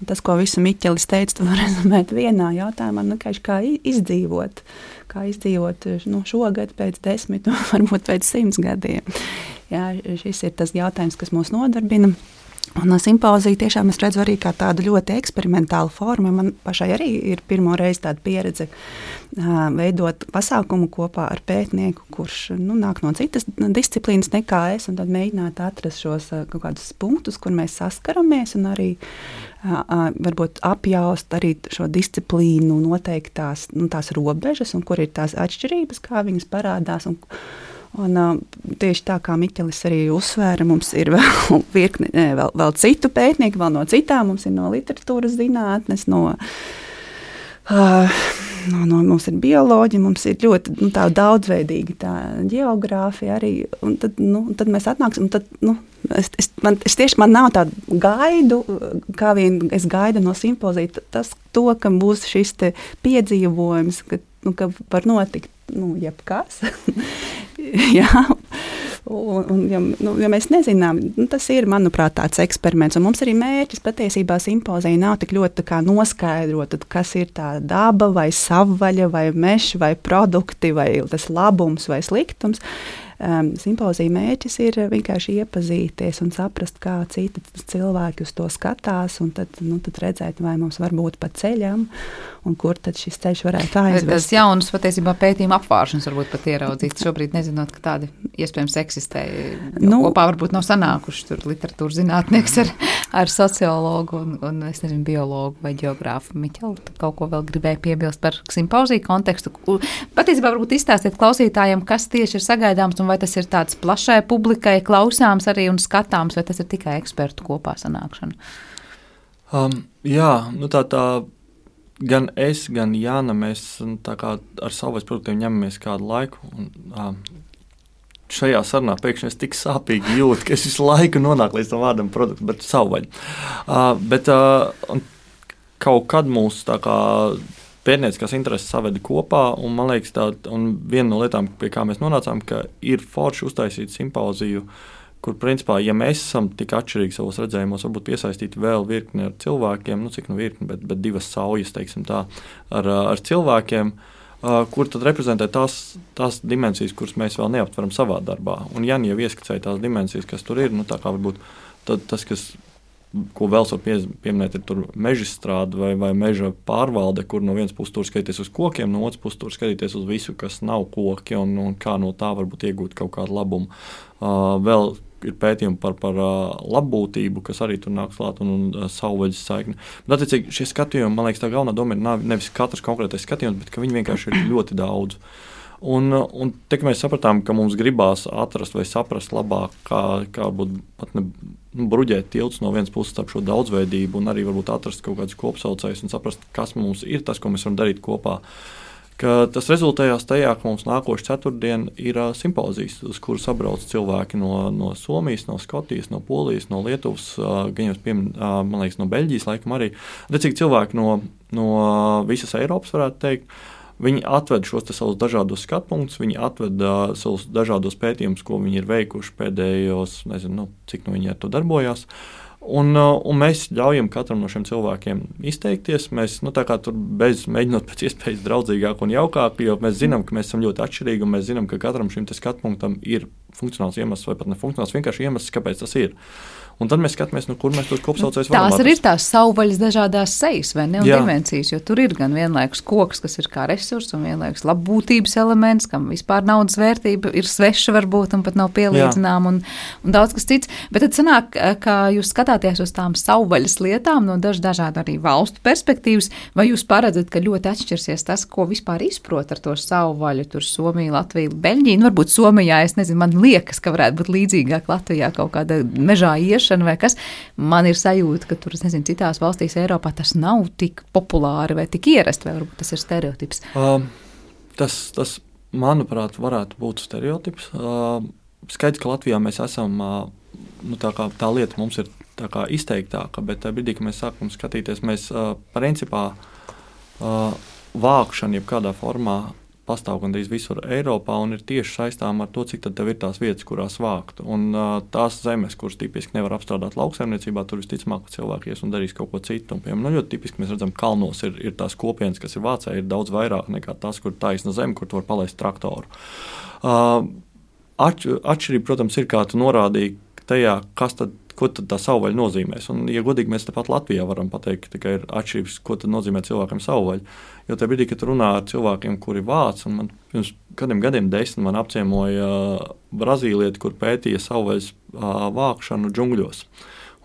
Tas, ko visu Miķelis teica, tu var rezumēt vienā jautājumā, kā izdzīvot. Kā izdzīvot šogad pēc 10, varbūt pēc 100 gadiem. Jā, šis ir tas jautājums, kas mūs nodarbina. Un simpozija tiešām es redzu arī kā tādu ļoti eksperimentālu formu. Man pašai arī ir pirmo reizi tāda pieredze veidot pasākumu kopā ar pētnieku, kurš nāk no citas disciplīnas nekā es, un tad mēģināt atrast šos kaut kādus punktus, kur mēs saskaramies, un arī varbūt apjaust arī šo disciplīnu noteiktās tās robežas, un kur ir tās atšķirības, kā viņas parādās. Un tieši tā kā Miķelis arī uzsvēra, mums ir vēl virkni, vēl citu pētnieku, vēl no citām, mums ir no literatūras zinātnes, mums ir bioloģija, mums ir ļoti tā daudzveidīga tā ģeogrāfija arī, un tad mēs atnāksim, un tad man nav tādu gaidu, kā vien es gaidu no simpozija, ka būs šis te piedzīvojums, ka var notikt jebkas. Jā, ja mēs nezinām, tas ir, manuprāt, tāds eksperiments, un mums arī mērķis patiesībā simpozija nav tik ļoti noskaidrot, kas ir tā daba, vai savvaļa, vai mežs, vai produkti, vai tas labums, vai sliktums. Simpozija mērķis ir vienkārši iepazīties un saprast, kā citi cilvēki uz to skatās, un tad redzēt, vai mums var būt pa ceļam, un kur tad šis ceļš varētu aizvest. Tas jaunas patiesībā pētījuma apvāršanas varbūt pat ieraudzīt, šobrīd nezinot, ka tādi iespējams eksistē. Kopā varbūt nav sanākuši tur literatūras zinātnieks ar sociologu un es nezinu, biologu vai ģeogrāfu. Miķeli, kaut ko vēl gribēja piebilst par simpoziju kontekstu. Patiesībā varbūt izstāstiet klausītājiem, kas tieši ir sagaidāms, un un vai tas ir tāds plašai publikai klausāms arī un skatāms, vai tas ir tikai ekspertu kopā sanākšana? Jā, tā gan es, gan Jāna, mēs tā kā ar savvaļas produktiem ņemamies kādu laiku. Un, šajā sarunā pēkšņi es tik sāpīgi jūtu, ka es visu laiku nonāku līdz tam vārdam produktu, bet savvaļa. Bet kaut kad mūsu tā kā pētnieciskās intereses saveda kopā, un man liekas, viena no lietām, pie kā mēs nonācām, ka ir forši uztaisīt simpoziju, kur, principā, ja mēs esam tik atšķirīgi savos redzējumos, varbūt piesaistīti vēl virkni ar cilvēkiem, cik virkni, bet 2 saujas, teiksim tā, ar cilvēkiem, kur tad reprezentē tās dimensijas, kuras mēs vēl neaptveram savā darbā. Un Jāni jau ieskicēja tās dimensijas, kas tur ir, tā kā varbūt tas, ko vēl var pieminēt, ir meža strāde vai meža pārvalde, kur no vienas puses tur skatīties uz kokiem, no otras puses tur skatīties uz visu, kas nav koki, un kā no tā varbūt iegūt kaut kādu labumu. Vēl ir pētījumi par labbūtību, kas arī tur nāks klāt, un savvaļas saikni. Bet, attiecīgi, šie skatījumi, man liekas, tā galvenā doma ir nevis katrs konkrētais skatījums, bet ka viņi vienkārši ir ļoti daudz. Un te, mēs sapratām, ka mums gribās atrast vai saprast labāk, kā būt pat bruģēt tilts no vienas puses starp šo daudzveidību, un arī varbūt atrast kaut kādus kopsaucējus un saprast, kas mums ir tas, ko mēs varam darīt kopā. Ka tas rezultējās tajā, ka mums nākošu ceturtdienu ir simpozijas, uz kuru sabrauc cilvēki no Somijas, no Skotijas, no Polijas, no Lietuvas, man liekas, no Beļģijas laikam arī. Recīgi cilvēki no visas Eiropas, varētu teikt. Viņi atved šos savus dažādos skatpunktus, viņi atved savus dažādos pētījumus, ko viņi ir veikuši pēdējos, nezinu, cik viņi ar to darbojās. Un mēs ļaujam katram no šiem cilvēkiem izteikties. Mēs mēģinot pēc iespējas draudzīgāk un jaukāk, jo mēs zinām, ka mēs esam ļoti atšķirīgi, un mēs zinām, ka katram šim skatpunktam ir funkcionāls iemesls vai pat nefunkcionāls, vienkārši iemesls, kāpēc tas ir. Un tad mēs skatāmies, kur mēs tos kopsaucējus varam atrast. Tās ir tās savvaļas dažādās sejas, vai ne, un dimensijas, jo tur ir gan vienlaikus koks, kas ir kā resurs, un vienlaikus labbūtības elements, kam vispār naudas vērtība ir sveša varbūt, un pat nav pielīdzinām, un daudz kas cits. Bet tad sanāk, ka jūs skatāties uz tām savvaļas lietām no dažādu arī valstu perspektīvas, vai jūs paredzat, ka ļoti atšķirsies tas, ko vispār izprot ar to savvaļu, tur Somija, Latvija, Beļģija, varbūt Somijā, es nezinu, man liekas, ka varētu būt līdzīgāk Latvijā kaut kāda mežā vai kas. Man ir sajūta, ka tur, es nezinu, citās valstīs Eiropā tas nav tik populāri vai tik ierasti, vai varbūt tas ir stereotips? Tas, manuprāt, varētu būt stereotips. Skaidrs, ka Latvijā mēs esam, tā lieta mums ir tā kā izteiktāka, bet brīdī, kad mēs sākam skatīties, mēs principā vākšana jebkādā formā pastāv gandrīz visur Eiropā un ir tieši saistām ar to, cik tad tev ir tās vietas, kurās vākt. Un tās zemes, kuras tipiski nevar apstrādāt lauksaimniecībā, tur visticamāk, ka cilvēki ies un darīs kaut ko citu. Un, piemēram, ļoti tipiski mēs redzam, kalnos ir tās kopienas, kas ir Vācijā, ir daudz vairāk nekā tās, kur taisna zeme, kur tu var palaist traktoru. Atšķirība, protams, ir, kā tu norādīji tajā, ko tad tā savvaļa nozīmēs. Un, ja godīgi, mēs tepat Latvijā varam pateikt, ka ir atšķirības, ko tad nozīmē cilvēkam savvaļa. Jo tajā brīdī, kad runā ar cilvēkiem, kuri vāc, un man pirms kādiem gadiem 10 man apciemoja brazīlieti, kur pētīja savvaļas vākšanu džungļos.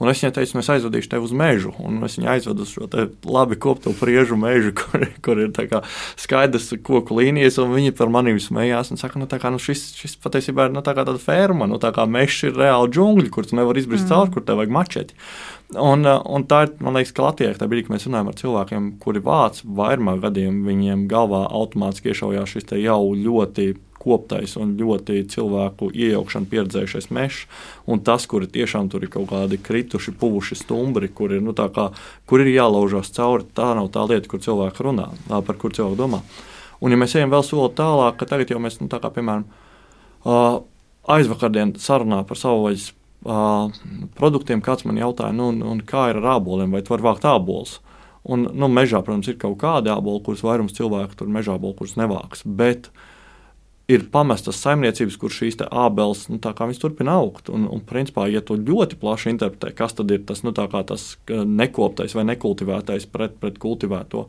Un es viņai teicu, es aizvedīšu tevi uz mežu, un es viņu aizvedu uz šo labi kopto priežu mežu, kur ir tā kā skaidrs koku līnijas, un viņi par manīm smējās un saka, šis patiesībā ir tā kā tāda ferma, tā kā mežs ir reāli džungļi, kur tu nevar izbrist cauri, kur tev vajag mačeti. Un tā ir, man liekas, ka Latvijā, tā brīdī, kad mēs runājam ar cilvēkiem, kuri vāc, vairumā gadiem viņiem galvā automātiski iešaujās šis te jau ļoti koptais un ļoti cilvēku iejaukšanu pieredzējušais mežs, un tas, kuri tiešām tur ir kaut kādi krituši, puvuši stumbri, kur ir jālaužās cauri, tā nav tā lieta, kur cilvēki runā, par kur cilvēki domā. Un ja mēs ejam vēl soli tālāk, ka tagad jau mēs, piemēram, aizvakardien sarunā par savvaļas produktiem, kāds man jautāja, kā ir ar āboliem, vai tu vari vākt ābolus? Un, mežā, protams, ir kaut kādi āboli, kurus vairums cilvēku tur mežā āboli, kurus nevāks, bet ir pamestas saimniecības, kur šīs ābeles, tā kā viņas turpina augt. Un principā, ja tu ļoti plaši interpretē, kas tad ir tas, tas nekoptais vai nekultivētais pret kultivēto,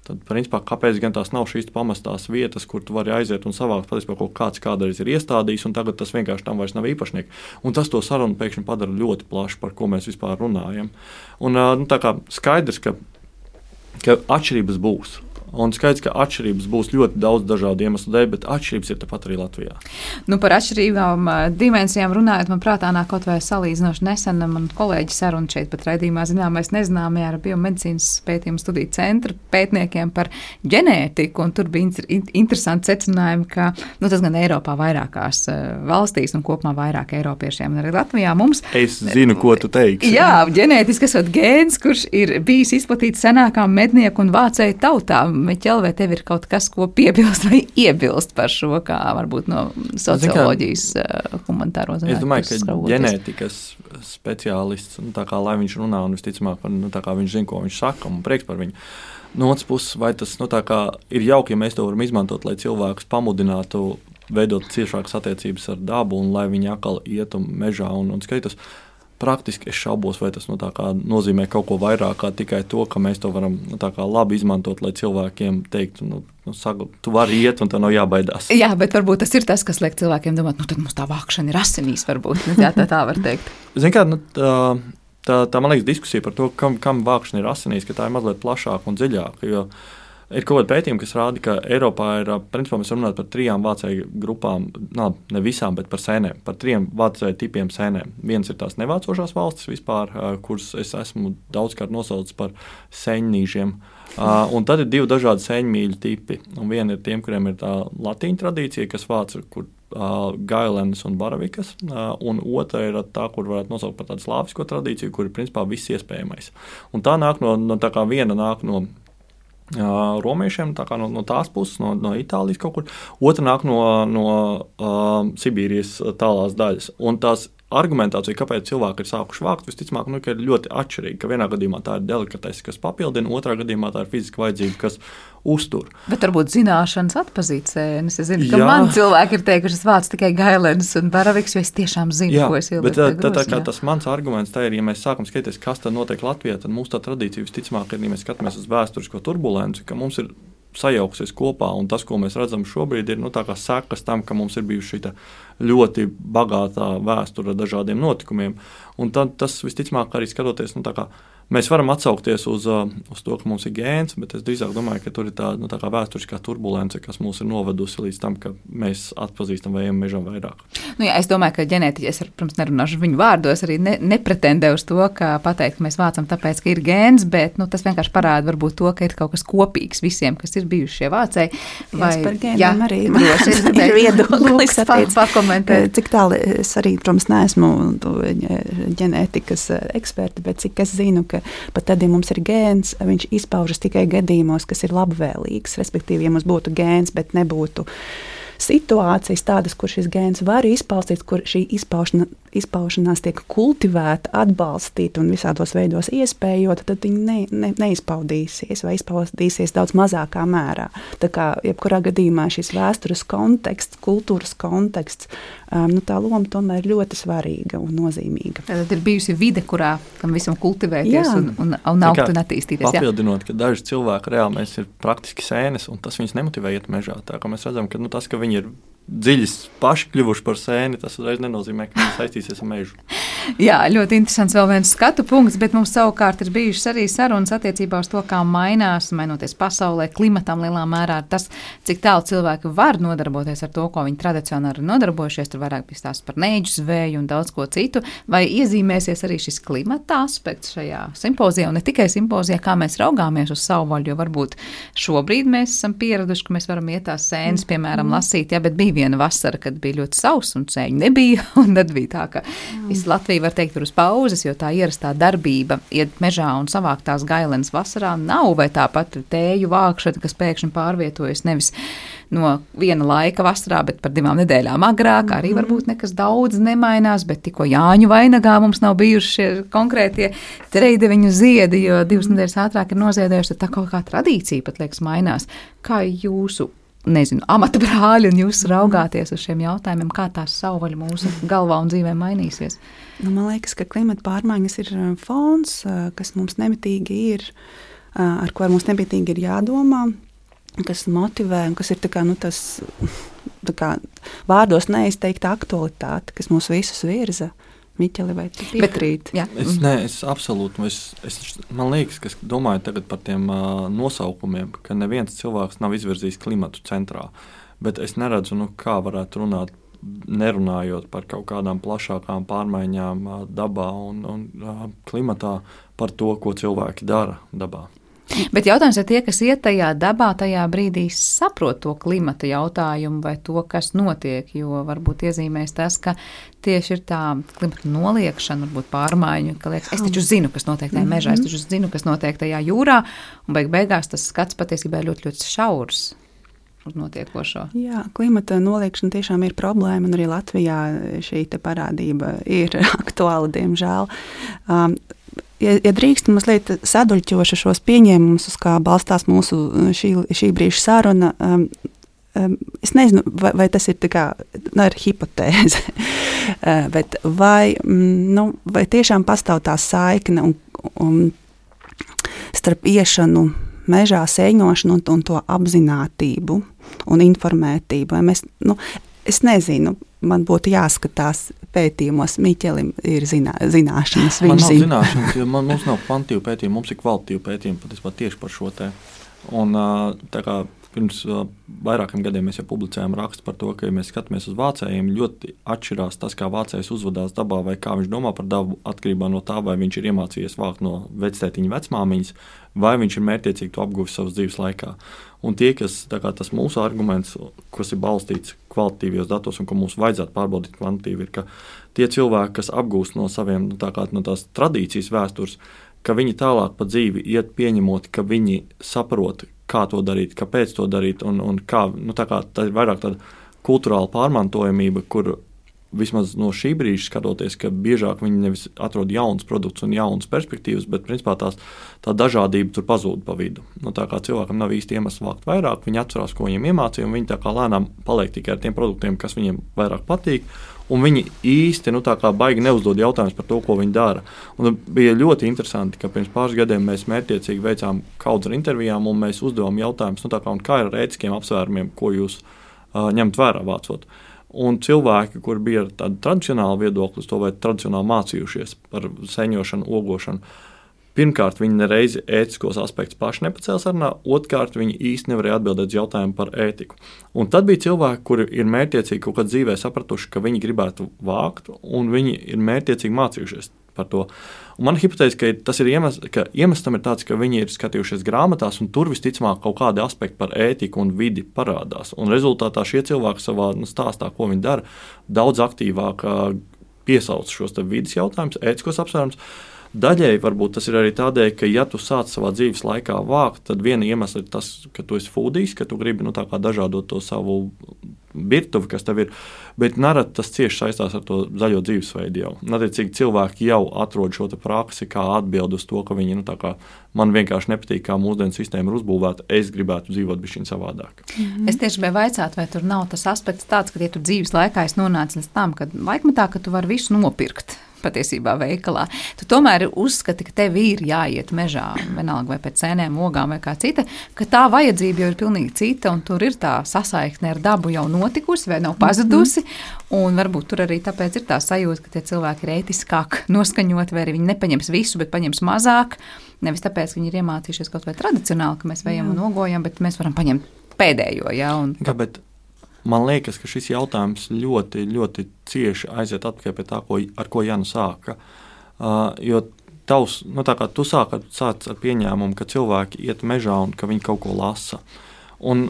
tad, principā, kāpēc gan tās nav šīs pamestās vietas, kur tu vari aiziet un savākt, patiesībā, kaut kāds kādreiz ir iestādījis, un tagad tas vienkārši tam vairs nav īpašnieki. Un tas to sarunu pēkšņi padara ļoti plaši, par ko mēs vispār runājam. Un tā kā skaidrs, ka atšķirības būs. Un skaidrs, ka atšķirības būs ļoti daudz dažādu iemeslu dēļ, bet atšķirības ir tepat arī Latvijā. Nu, par atšķirīgām dimensijām runājot, man prātā nāk kaut vai salīdzinoši nesen man kolēģi saruna šeit pat raidījumā zināmais nezināmajā ar biomedicīnas pētījumu studiju centra pētniekiem par ģenētiku, un tur bija interesanti secinājumi, ka tas gan Eiropā vairākās valstīs un kopumā vairāk eiropiešiem un arī Latvijā mums. Es zinu, ko tu teiksi. Jā, ģenētiski esot gēns, kurš ir bijis izplatīts senākām mednieku un vācēju tautām. Meķel, vai tev ir kaut kas, ko piebilst vai iebilst par šo, kā varbūt no socioloģijas humanitāro zinātņu? Es domāju, ka ģenētikas speciālists, tā kā lai viņš runā un visticamāk, tā kā viņš zina, ko viņš saka, un prieks par viņu. No otras puses, vai tas tā kā ir jauki, ja mēs to varam izmantot, lai cilvēkus pamudinātu veidot ciešākas attiecības ar dabu un lai viņi atkal ietu mežā un skaitās. Praktiski es šaubos, vai tas nozīmē kaut ko vairāk kā tikai to, ka mēs to varam labi izmantot, lai cilvēkiem teiktu, tu vari iet un tev nav jābaidās. Jā, bet varbūt tas ir tas, kas liek cilvēkiem domāt, tad mums tā vākšana ir asinīs varbūt. Jā, tā var teikt. Zini kā, tā man liekas diskusija par to, kam vākšana ir asinīs, ka tā ir mazliet plašāka un dziļāka, jo ir kaut kāda pētījuma, kas rāda, ka Eiropā ir, principā mēs runājam par 3 vācēju grupām, ne visām, bet par sēnēm, par 3 vācēju tipiem sēnēm. Viens ir tās nevācošās valstis vispār, kuras es esmu daudzkārt nosaucis par sēņnīžiem. Un tad ir 2 dažādi sēņmīļu tipi. Un viena ir tiem, kuriem ir tā latīņu tradīcija, kas vāca, kur gailenes un baravikas, un otra ir tā, kur varētu nosaukt par tādu slāvisko tradīciju, kur ir principā viss iespējamais. Un tā nāk tā kā viena nāk no romiešiem, tā kā no tās puses, no Itālijas kaut kur. Otra nāk no Sibīrijas tālās daļas. Un tās argumentācija, kāpēc cilvēki ir sākuši vākt, visticamāk, ka ir ļoti atšķirīga. Ka vienā gadījumā tā ir delikatese, kas papildina, otrā gadījumā tā ir fiziska vajadzība, kas uztur. Bet varbūt zināšanas atpazīt sēnes. Es zinu, ka man cilvēki ir teikuši, es vācu tikai gailenes un baraviks, jo es tiešām zinu, ko es ieliku. Bet tas mans arguments tā ir, ja mēs sākam skatīties, kas tad notiek Latvijā, tad mūsu tā tradīcija visticamāk ir, ja mēs skatāmies uz vēsturisko turbulenci, ka mums ir sajauksies kopā, un tas, ko mēs redzam šobrīd, ir tā kā sekas tam, ka mums ir bijuši šī ļoti bagātā vēsture ar dažādiem notikumiem. Un tad tas visticamāk arī skatoties, tā kā mēs varam atsaukties uz to, ka mums ir gēns, bet es drīzāk domāju, ka tur ir tā kā vēsturiskā turbulence, kas mūs ir novedusi līdz tam, ka mēs atpazīstam vai ejam mežam vairāk. Jā, es domāju, ka ģenētiķi, es, protams, nerunāšu viņu vārdos, arī nepretendē uz to, ka pateikt, ka mēs vācam tāpēc, ka ir gēns, bet tas vienkārši parāda varbūt to, ka ir kaut kas kopīgs visiem, kas ir bijuši šie vācēji. Vai par gēniem arī ir viedoklis pakomentēt. Cik tālu es arī, protams, neesmu ģenētikas eksperti, bet cik es zinu, ka pat tad, ja mums ir gēns, viņš izpaužas tikai gadījumos, kas ir labvēlīgs. Respektīvi, ja mums būtu gēns, bet nebūtu situācijas tādas, kur šis gēns var izpausties, kur šī izpaušanās tiek kultivēta, atbalstīta un visādos veidos iespējota, tad viņi neizpaudīsies vai izpaudīsies daudz mazākā mērā. Tā kā jebkurā gadījumā šis vēstures konteksts, kultūras konteksts, tā loma tomēr ir ļoti svarīga un nozīmīga. Tad ir bijusi vide, kurā tam visam kultivēties un augt un attīstīties. Papildinot, ka daži cilvēki reāli mēs ir praktiski sēnes, un tas viņus nemotivē iet mežā. Tā kā mēs redzam, ka tas, ka viņi ir dziļi paši kļuvuši par sēni, tas uzreiz nenozīmē, ka viņi saistīsies ar mežu. Jā, ļoti interesants vēl viens skatu punkts, bet mums savukārt ir bijušas arī sarunas attiecībā uz to, kā mainoties pasaulē, klimatam lielā mērā, tas, cik tālu cilvēki var nodarboties ar to, ko viņi tradicionāli ir nodarbojušies, tur vairāk bija stāsts par neģu zvēju un daudz ko citu, vai iezīmēsies arī šis klimata aspekts šajā simpozijā, un ne tikai simpozijā, kā mēs raugāmies uz savvaļu, jo varbūt šobrīd mēs esam pieraduši, ka mēs varam iet tās sēnes, piemēram, lasīt, bet bija viena vasara, kad bija ļoti sauss un sēņu nebija, un tad bija tā, ka viss Latvija var teikt ir uz pauzes, jo tā ierastā darbība iet mežā un savākt tās gailenes vasarā nav, vai tāpat tēju vākšana, kas pēkšņi pārvietojas nevis no viena laika vasarā, bet par 2 nedēļām agrāk, arī varbūt nekas daudz nemainās, bet tikko Jāņu vainagā mums nav bijuši šie konkrētie treideviņu ziedi, jo 2 nedēļas ātrāk ir noziedējuši, tad tā kaut kā tradīcija pat liekas mainās. Kā jūsu amata brāļi un jūs raugāties uz šiem jautājumiem, kā tās savvaļa mūsu galvā un dzīvē mainīsies? Man liekas, ka klimata pārmaiņas ir fons, kas mums nemitīgi ir, ar ko mums nemitīgi ir jādomā, kas motivē un kas ir tas vārdos neizteikta aktualitāte, kas mūs visus virza. Miķeli, vai tu piekrīti? Es absolūti. Man liekas, ka domāju tagad par tiem nosaukumiem, ka neviens cilvēks nav izvirzījis klimatu centrā. Bet es neredzu, kā varētu runāt, nerunājot par kaut kādām plašākām pārmaiņām dabā un klimatā, par to, ko cilvēki dara dabā. Bet jautājums ir tie, kas iet tajā dabā, tajā brīdī saprot to klimata jautājumu vai to, kas notiek, jo varbūt iezīmēs tas, ka tieši ir tā klimata noliekšana, varbūt pārmaiņu, ka liekas, es taču zinu, kas notiek tajā mežā, es taču zinu, kas notiek tajā jūrā, un beigās tas skats patiesībā ir ļoti, ļoti šaurs uz notiekošo. Jā, klimata noliekšana tiešām ir problēma, un arī Latvijā šī parādība ir aktuāla, diemžēl. Ja drīkst mazliet saduļķošu šos pieņēmumus, uz kā balstās mūsu šī brīža saruna, es nezinu, vai tas ir tā kā, ir hipotēze, bet vai tiešām pastāv tā saikne un starp iešanu mežā, sēņošanu un to apzinātību un informētību. Es nezinu, man būtu jāskatās pētījumos. Miķelim ir zināšanas. Man nav zināšanas, jo mums nav kvantitīvu pētījumu, mums ir kvalitatīvu pētījumu patiesībā tieši par šo te. Un tā kā pirms vairākiem gadiem mēs jau publicējām rakstu par to, ka, ja mēs skatāmies uz vācējiem, ļoti atšķirās tas, kā vācējs uzvedās dabā vai kā viņš domā par dabu atkarībā no tā, vai viņš ir iemācījies vākt no vectētiņa vecmāmiņas, vai viņš ir mērķiecīgi to apguvis savas dzīves laikā. Un tie, kas, tas mūsu arguments, kas ir balstīts kvalitatīvos datos un ko mums vajadzētu pārbaudīt kvantitīvi, ir, ka tie cilvēki, kas apgūst no saviem, no tās tradīcijas vēstures, ka viņi tālāk pa dzīvi iet pieņemot, ka viņi saprot, kā to darīt, kāpēc to darīt, un kā, tā ir vairāk tāda kulturāla pārmantojamība, kur vismaz no šī brīža skatoties, ka biežāk viņi nevis atrod jauns produkts un jaunas perspektīvas, bet principā tā dažādība tur pazūd pa vidu. Tā kā cilvēkam nav īsti iemesls vākt vairāk, viņi atcerās, ko viņiem iemācīja, un viņi tā kā lēnām paliek tikai ar tiem produktiem, kas viņiem vairāk patīk, un viņi īsti baigi neuzdod jautājumus par to, ko viņi dara. Un bija ļoti interesanti, ka pirms pāris gadiem mēs mērķiecīgi veicām kaudz ar intervijām, un mēs uzdevām jautājumus, kā ir ar ētiskiem apsvērumiem, ko jūs ņemt vērā vācot. Un cilvēki, kur bija ar tādu tradicionālu viedokli, to vai tradicionāli mācījušies par sēņošanu, ogošanu, pirmkārt, viņi nereizi ētiskos aspektus paši nepacēla sarunā, otrkārt, viņi īsti nevarēja atbildēt uz jautājumu par ētiku. Un tad bija cilvēki, kuri ir mērķiecīgi kaut kādā dzīvē sapratuši, ka viņi gribētu vākt, un viņi ir mērķiecīgi mācījušies par to. Un man hipotēze, ka tas ir iemesls tam ir tāds, ka viņi ir skatījušies grāmatās, un tur visticamāk kaut kādi aspekti par ētiku un vidi parādās. Un rezultātā šie cilvēki savā stāstā, ko viņi dara, daudz aktīvāk piesauc šos vidas jautājumus, ētiskos apsvērumus. Daļēji varbūt tas ir arī tādēļ, ka, ja tu sāc savā dzīves laikā vākt, tad viena iemesla ir tas, ka tu esi foodijs, ka tu gribi dažādot to savu virtuvi, kas tev ir, bet nerad tas cieši saistās ar to zaļo dzīvesveidu jau. Attiecīgi cilvēki jau atrod šo praksi, kā atbild uz to, ka viņi, man vienkārši nepatīk, kā mūsdienu sistēma ir uzbūvēta, es gribētu dzīvot bišķiņ savādāk. Es tieši gribēju vaicāt, vai tur nav tas aspekts tāds, ka, ja tu dzīves laikā esi nonācis līdz tam, ka laikmetā, ka tu vari visu nopirkt patiesībā veikalā. Tu tomēr uzskati, ka tev ir jāiet mežā, vienalga vai pēc sēnēm, ogām vai kā cita, ka tā vajadzība jau ir pilnīgi cita, un tur ir tā sasaikne ar dabu jau notikusi vai nav pazudusi, un varbūt tur arī tāpēc ir tā sajūta, ka tie cilvēki ir ētiskāk noskaņoti, vai arī viņi nepaņems visu, bet paņems mazāk, nevis tāpēc, ka viņi ir iemācījušies kaut vai tradicionāli, ka mēs vejam un ogojam, bet mēs varam paņemt pēdējo, jā. Bet man liekas, ka šis jautājums ļoti, ļoti cieši aiziet atpakaļ pie tā, ar ko Jana sāka. Jo tu sāc ar pieņēmumu, ka cilvēki iet mežā un ka viņi kaut ko lasa. Un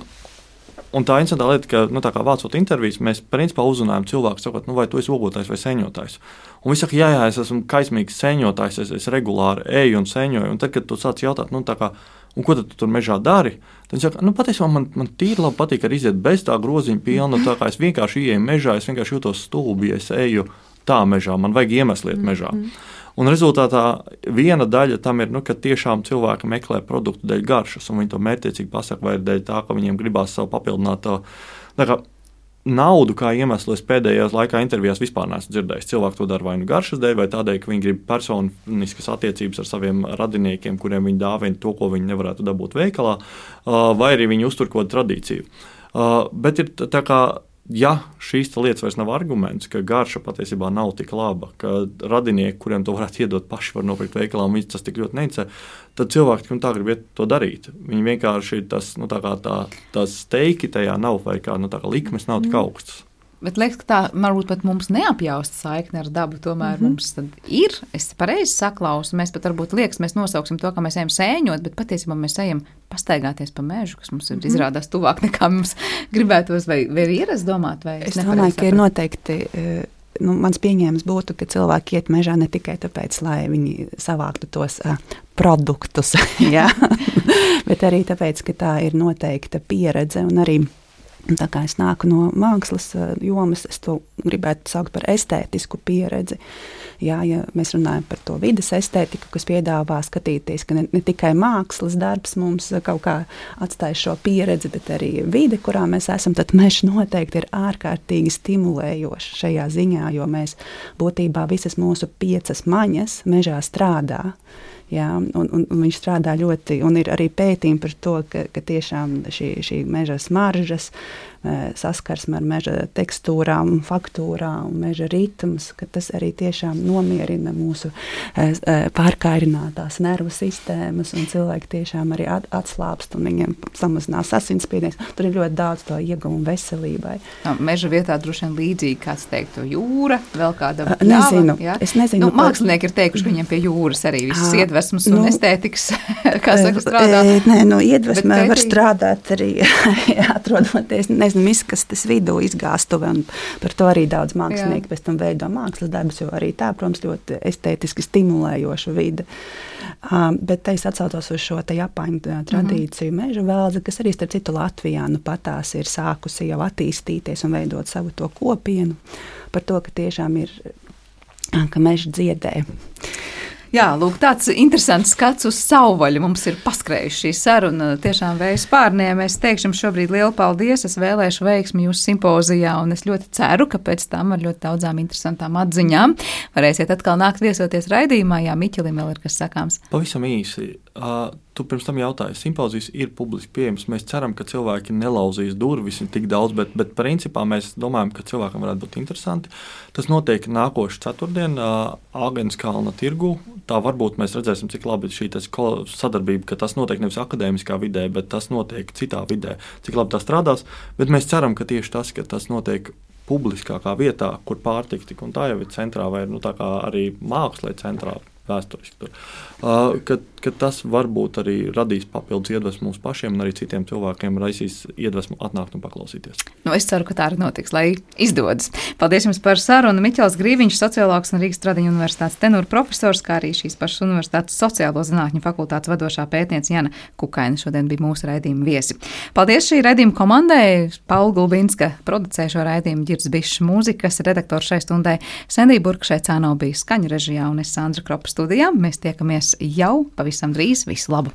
tā interesantā lieta, ka kā vācot intervijas, mēs principā uzrunājam cilvēku, sakot, vai tu esi ogotājs vai sēņotājs. Un viņi saka, jā, es esmu kaismīgs sēņotājs, es regulāri eju un sēņoju. Un tad, kad tu sāc jautāt, un ko tu tur mežā dari? Tad viņš saka, patiesībā man tīri labi patīk arī iziet bez tā groziņa pilna, tā kā es vienkārši ieeju mežā, es vienkārši jūtos stulbi, ja es eju tā mežā, man vajag iemeslu iet mežā. Un rezultātā viena daļa tam ir, ka tiešām cilvēki meklē produktu dēļ garšas, un viņi to mērķiecīgi pasaka, vai ir dēļ tā, ka viņiem gribās savu papildināt naudu kā iemeslu. Es pēdējās laikā intervijās vispār neesmu dzirdējis. Cilvēki to dara vai nu garšas dēļ, vai tādēļ, ka viņi grib personiskas attiecības ar saviem radiniekiem, kuriem viņi dāvina to, ko viņi nevarētu dabūt veikalā, vai arī viņi uztur kaut kādu tradīciju. Bet ir tā kā ja šīs lietas vairs nav arguments, ka garša patiesībā nav tik laba, ka radinieki, kuriem to varētu iedot paši, var nopirkt veikalā, un viņi tas tik ļoti neinteresē, tad cilvēki tā grib iet to darīt. Viņi vienkārši tas steiki tajā nav, vai kā likmes nav tik augstas. Bet liekas, ka tā varbūt pat mums neapjausta saikne ar dabu, tomēr mums tad ir, es pareizi saklausu, mēs pat varbūt liekas, mēs nosauksim to, ka mēs ejam sēņot, bet patiesībā mēs ejam pastaigāties pa mežu, kas mums ir izrādās tuvāk nekā mums gribētos, vai ir ierast domāt, vai es domāju, ka ir noteikti, mans pieņēmums būtu, ka cilvēki iet mežā ne tikai tāpēc, lai viņi savāktu tos produktus, ja? Bet arī tāpēc, ka tā ir noteikta pieredze un arī tā kā es nāku no mākslas jomas, es to gribētu saukt par estētisku pieredzi. Jā, ja mēs runājam par to vides estētiku, kas piedāvā skatīties, ka ne tikai mākslas darbs mums kaut kā atstāja šo pieredzi, bet arī vide, kurā mēs esam, tad mežs noteikti ir ārkārtīgi stimulējošs šajā ziņā, jo mēs būtībā visas mūsu 5 maņas mežā strādā. Jā, un viņš strādā ļoti, un ir arī pētījumi par to, ka tiešām šī meža smaržas, saskarsme ar meža tekstūrām, faktūrām, meža ritms, ka tas arī tiešām nomierina mūsu pārkairinātās nervu sistēmas, un cilvēki tiešām arī atslāpst, un viņiem samazinās asinsspiediens. Tur ir ļoti daudz to ieguvumu veselībai. Meža vietā droši vien līdzīgi, kāds teiktu, jūra, vēl kāda pļava. Nezinu, es nezinu. Mākslinieki ir teikuši, ka viņiem pie jūras arī visas iedvesmas un estētikas, kā saka, strādā. Iedvesmē var strādāt arī, atrodoties, izkastes vidū, izgāstuve, un par to arī daudz mākslinieki pēc tam veido mākslas darbus, jo arī tā, protams, ļoti estētiski stimulējoša vide. Bet te es atsaucos uz šo te Japāņu tradīciju meža vēldze, kas arī starp citu Latvijā patās ir sākusi jau attīstīties un veidot savu to kopienu par to, ka tiešām ir, ka meža dziedē. Jā, lūk, tāds interesants skats uz savvaļu mums ir paskrējuši šī saruna tiešām vējas pārniem. Es teikšu jums šobrīd lielu paldies, es vēlēšu veiksmi jūsu simpozijā, un es ļoti ceru, ka pēc tam ar ļoti daudzām interesantām atziņām varēsiet atkal nākt viesoties raidījumā. Jā, Miķelim vēl ir kas sakāms. Pavisam īsi. Tu pirms tam jautāji, simpozijas ir publiski pieejams. Mēs ceram, ka cilvēki nelauzīs durvis tik daudz, bet principā mēs domājam, ka cilvēkam varētu būt interesanti. Tas notiek nākošu ceturtdien Āgenskalna tirgu. Tā varbūt mēs redzēsim, cik labi šī sadarbība, ka tas notiek nevis akadēmiskā vidē, bet tas notiek citā vidē, cik labi tā strādās. Bet mēs ceram, ka tieši tas, ka tas notiek publiskākā vietā, kur pārtika tik un tā jau ir centrā, vai tā kā arī mākslē centrā, vēsturiski tur, ka tas varbūt arī radīs papildus iedvesmu mums pašiem un arī citiem cilvēkiem raisīs iedvesmu atnākt un paklausīties. Es ceru, ka tā arī notiks, lai izdodas. Paldies jums par sarunu. Miķels Grīviņš, sociologs un Rīgas Tradiņu universitātes tenūra profesors, kā arī šīs pašas universitātes sociālo zinātņu fakultātes vadošā pētniece Jana Kukaina šodien bija mūsu raidījuma viesi. Paldies šī raidījuma komandai. Paula Gulbinska producē šo raidījumu, Ģirds Bišs mūzikas redaktors šai stundai, Sendija Burka šeit cāno bija skaņu režijā un es Sandra Kropa studijā. Mēs tiekamies jau pavisam drīz. Visu labu!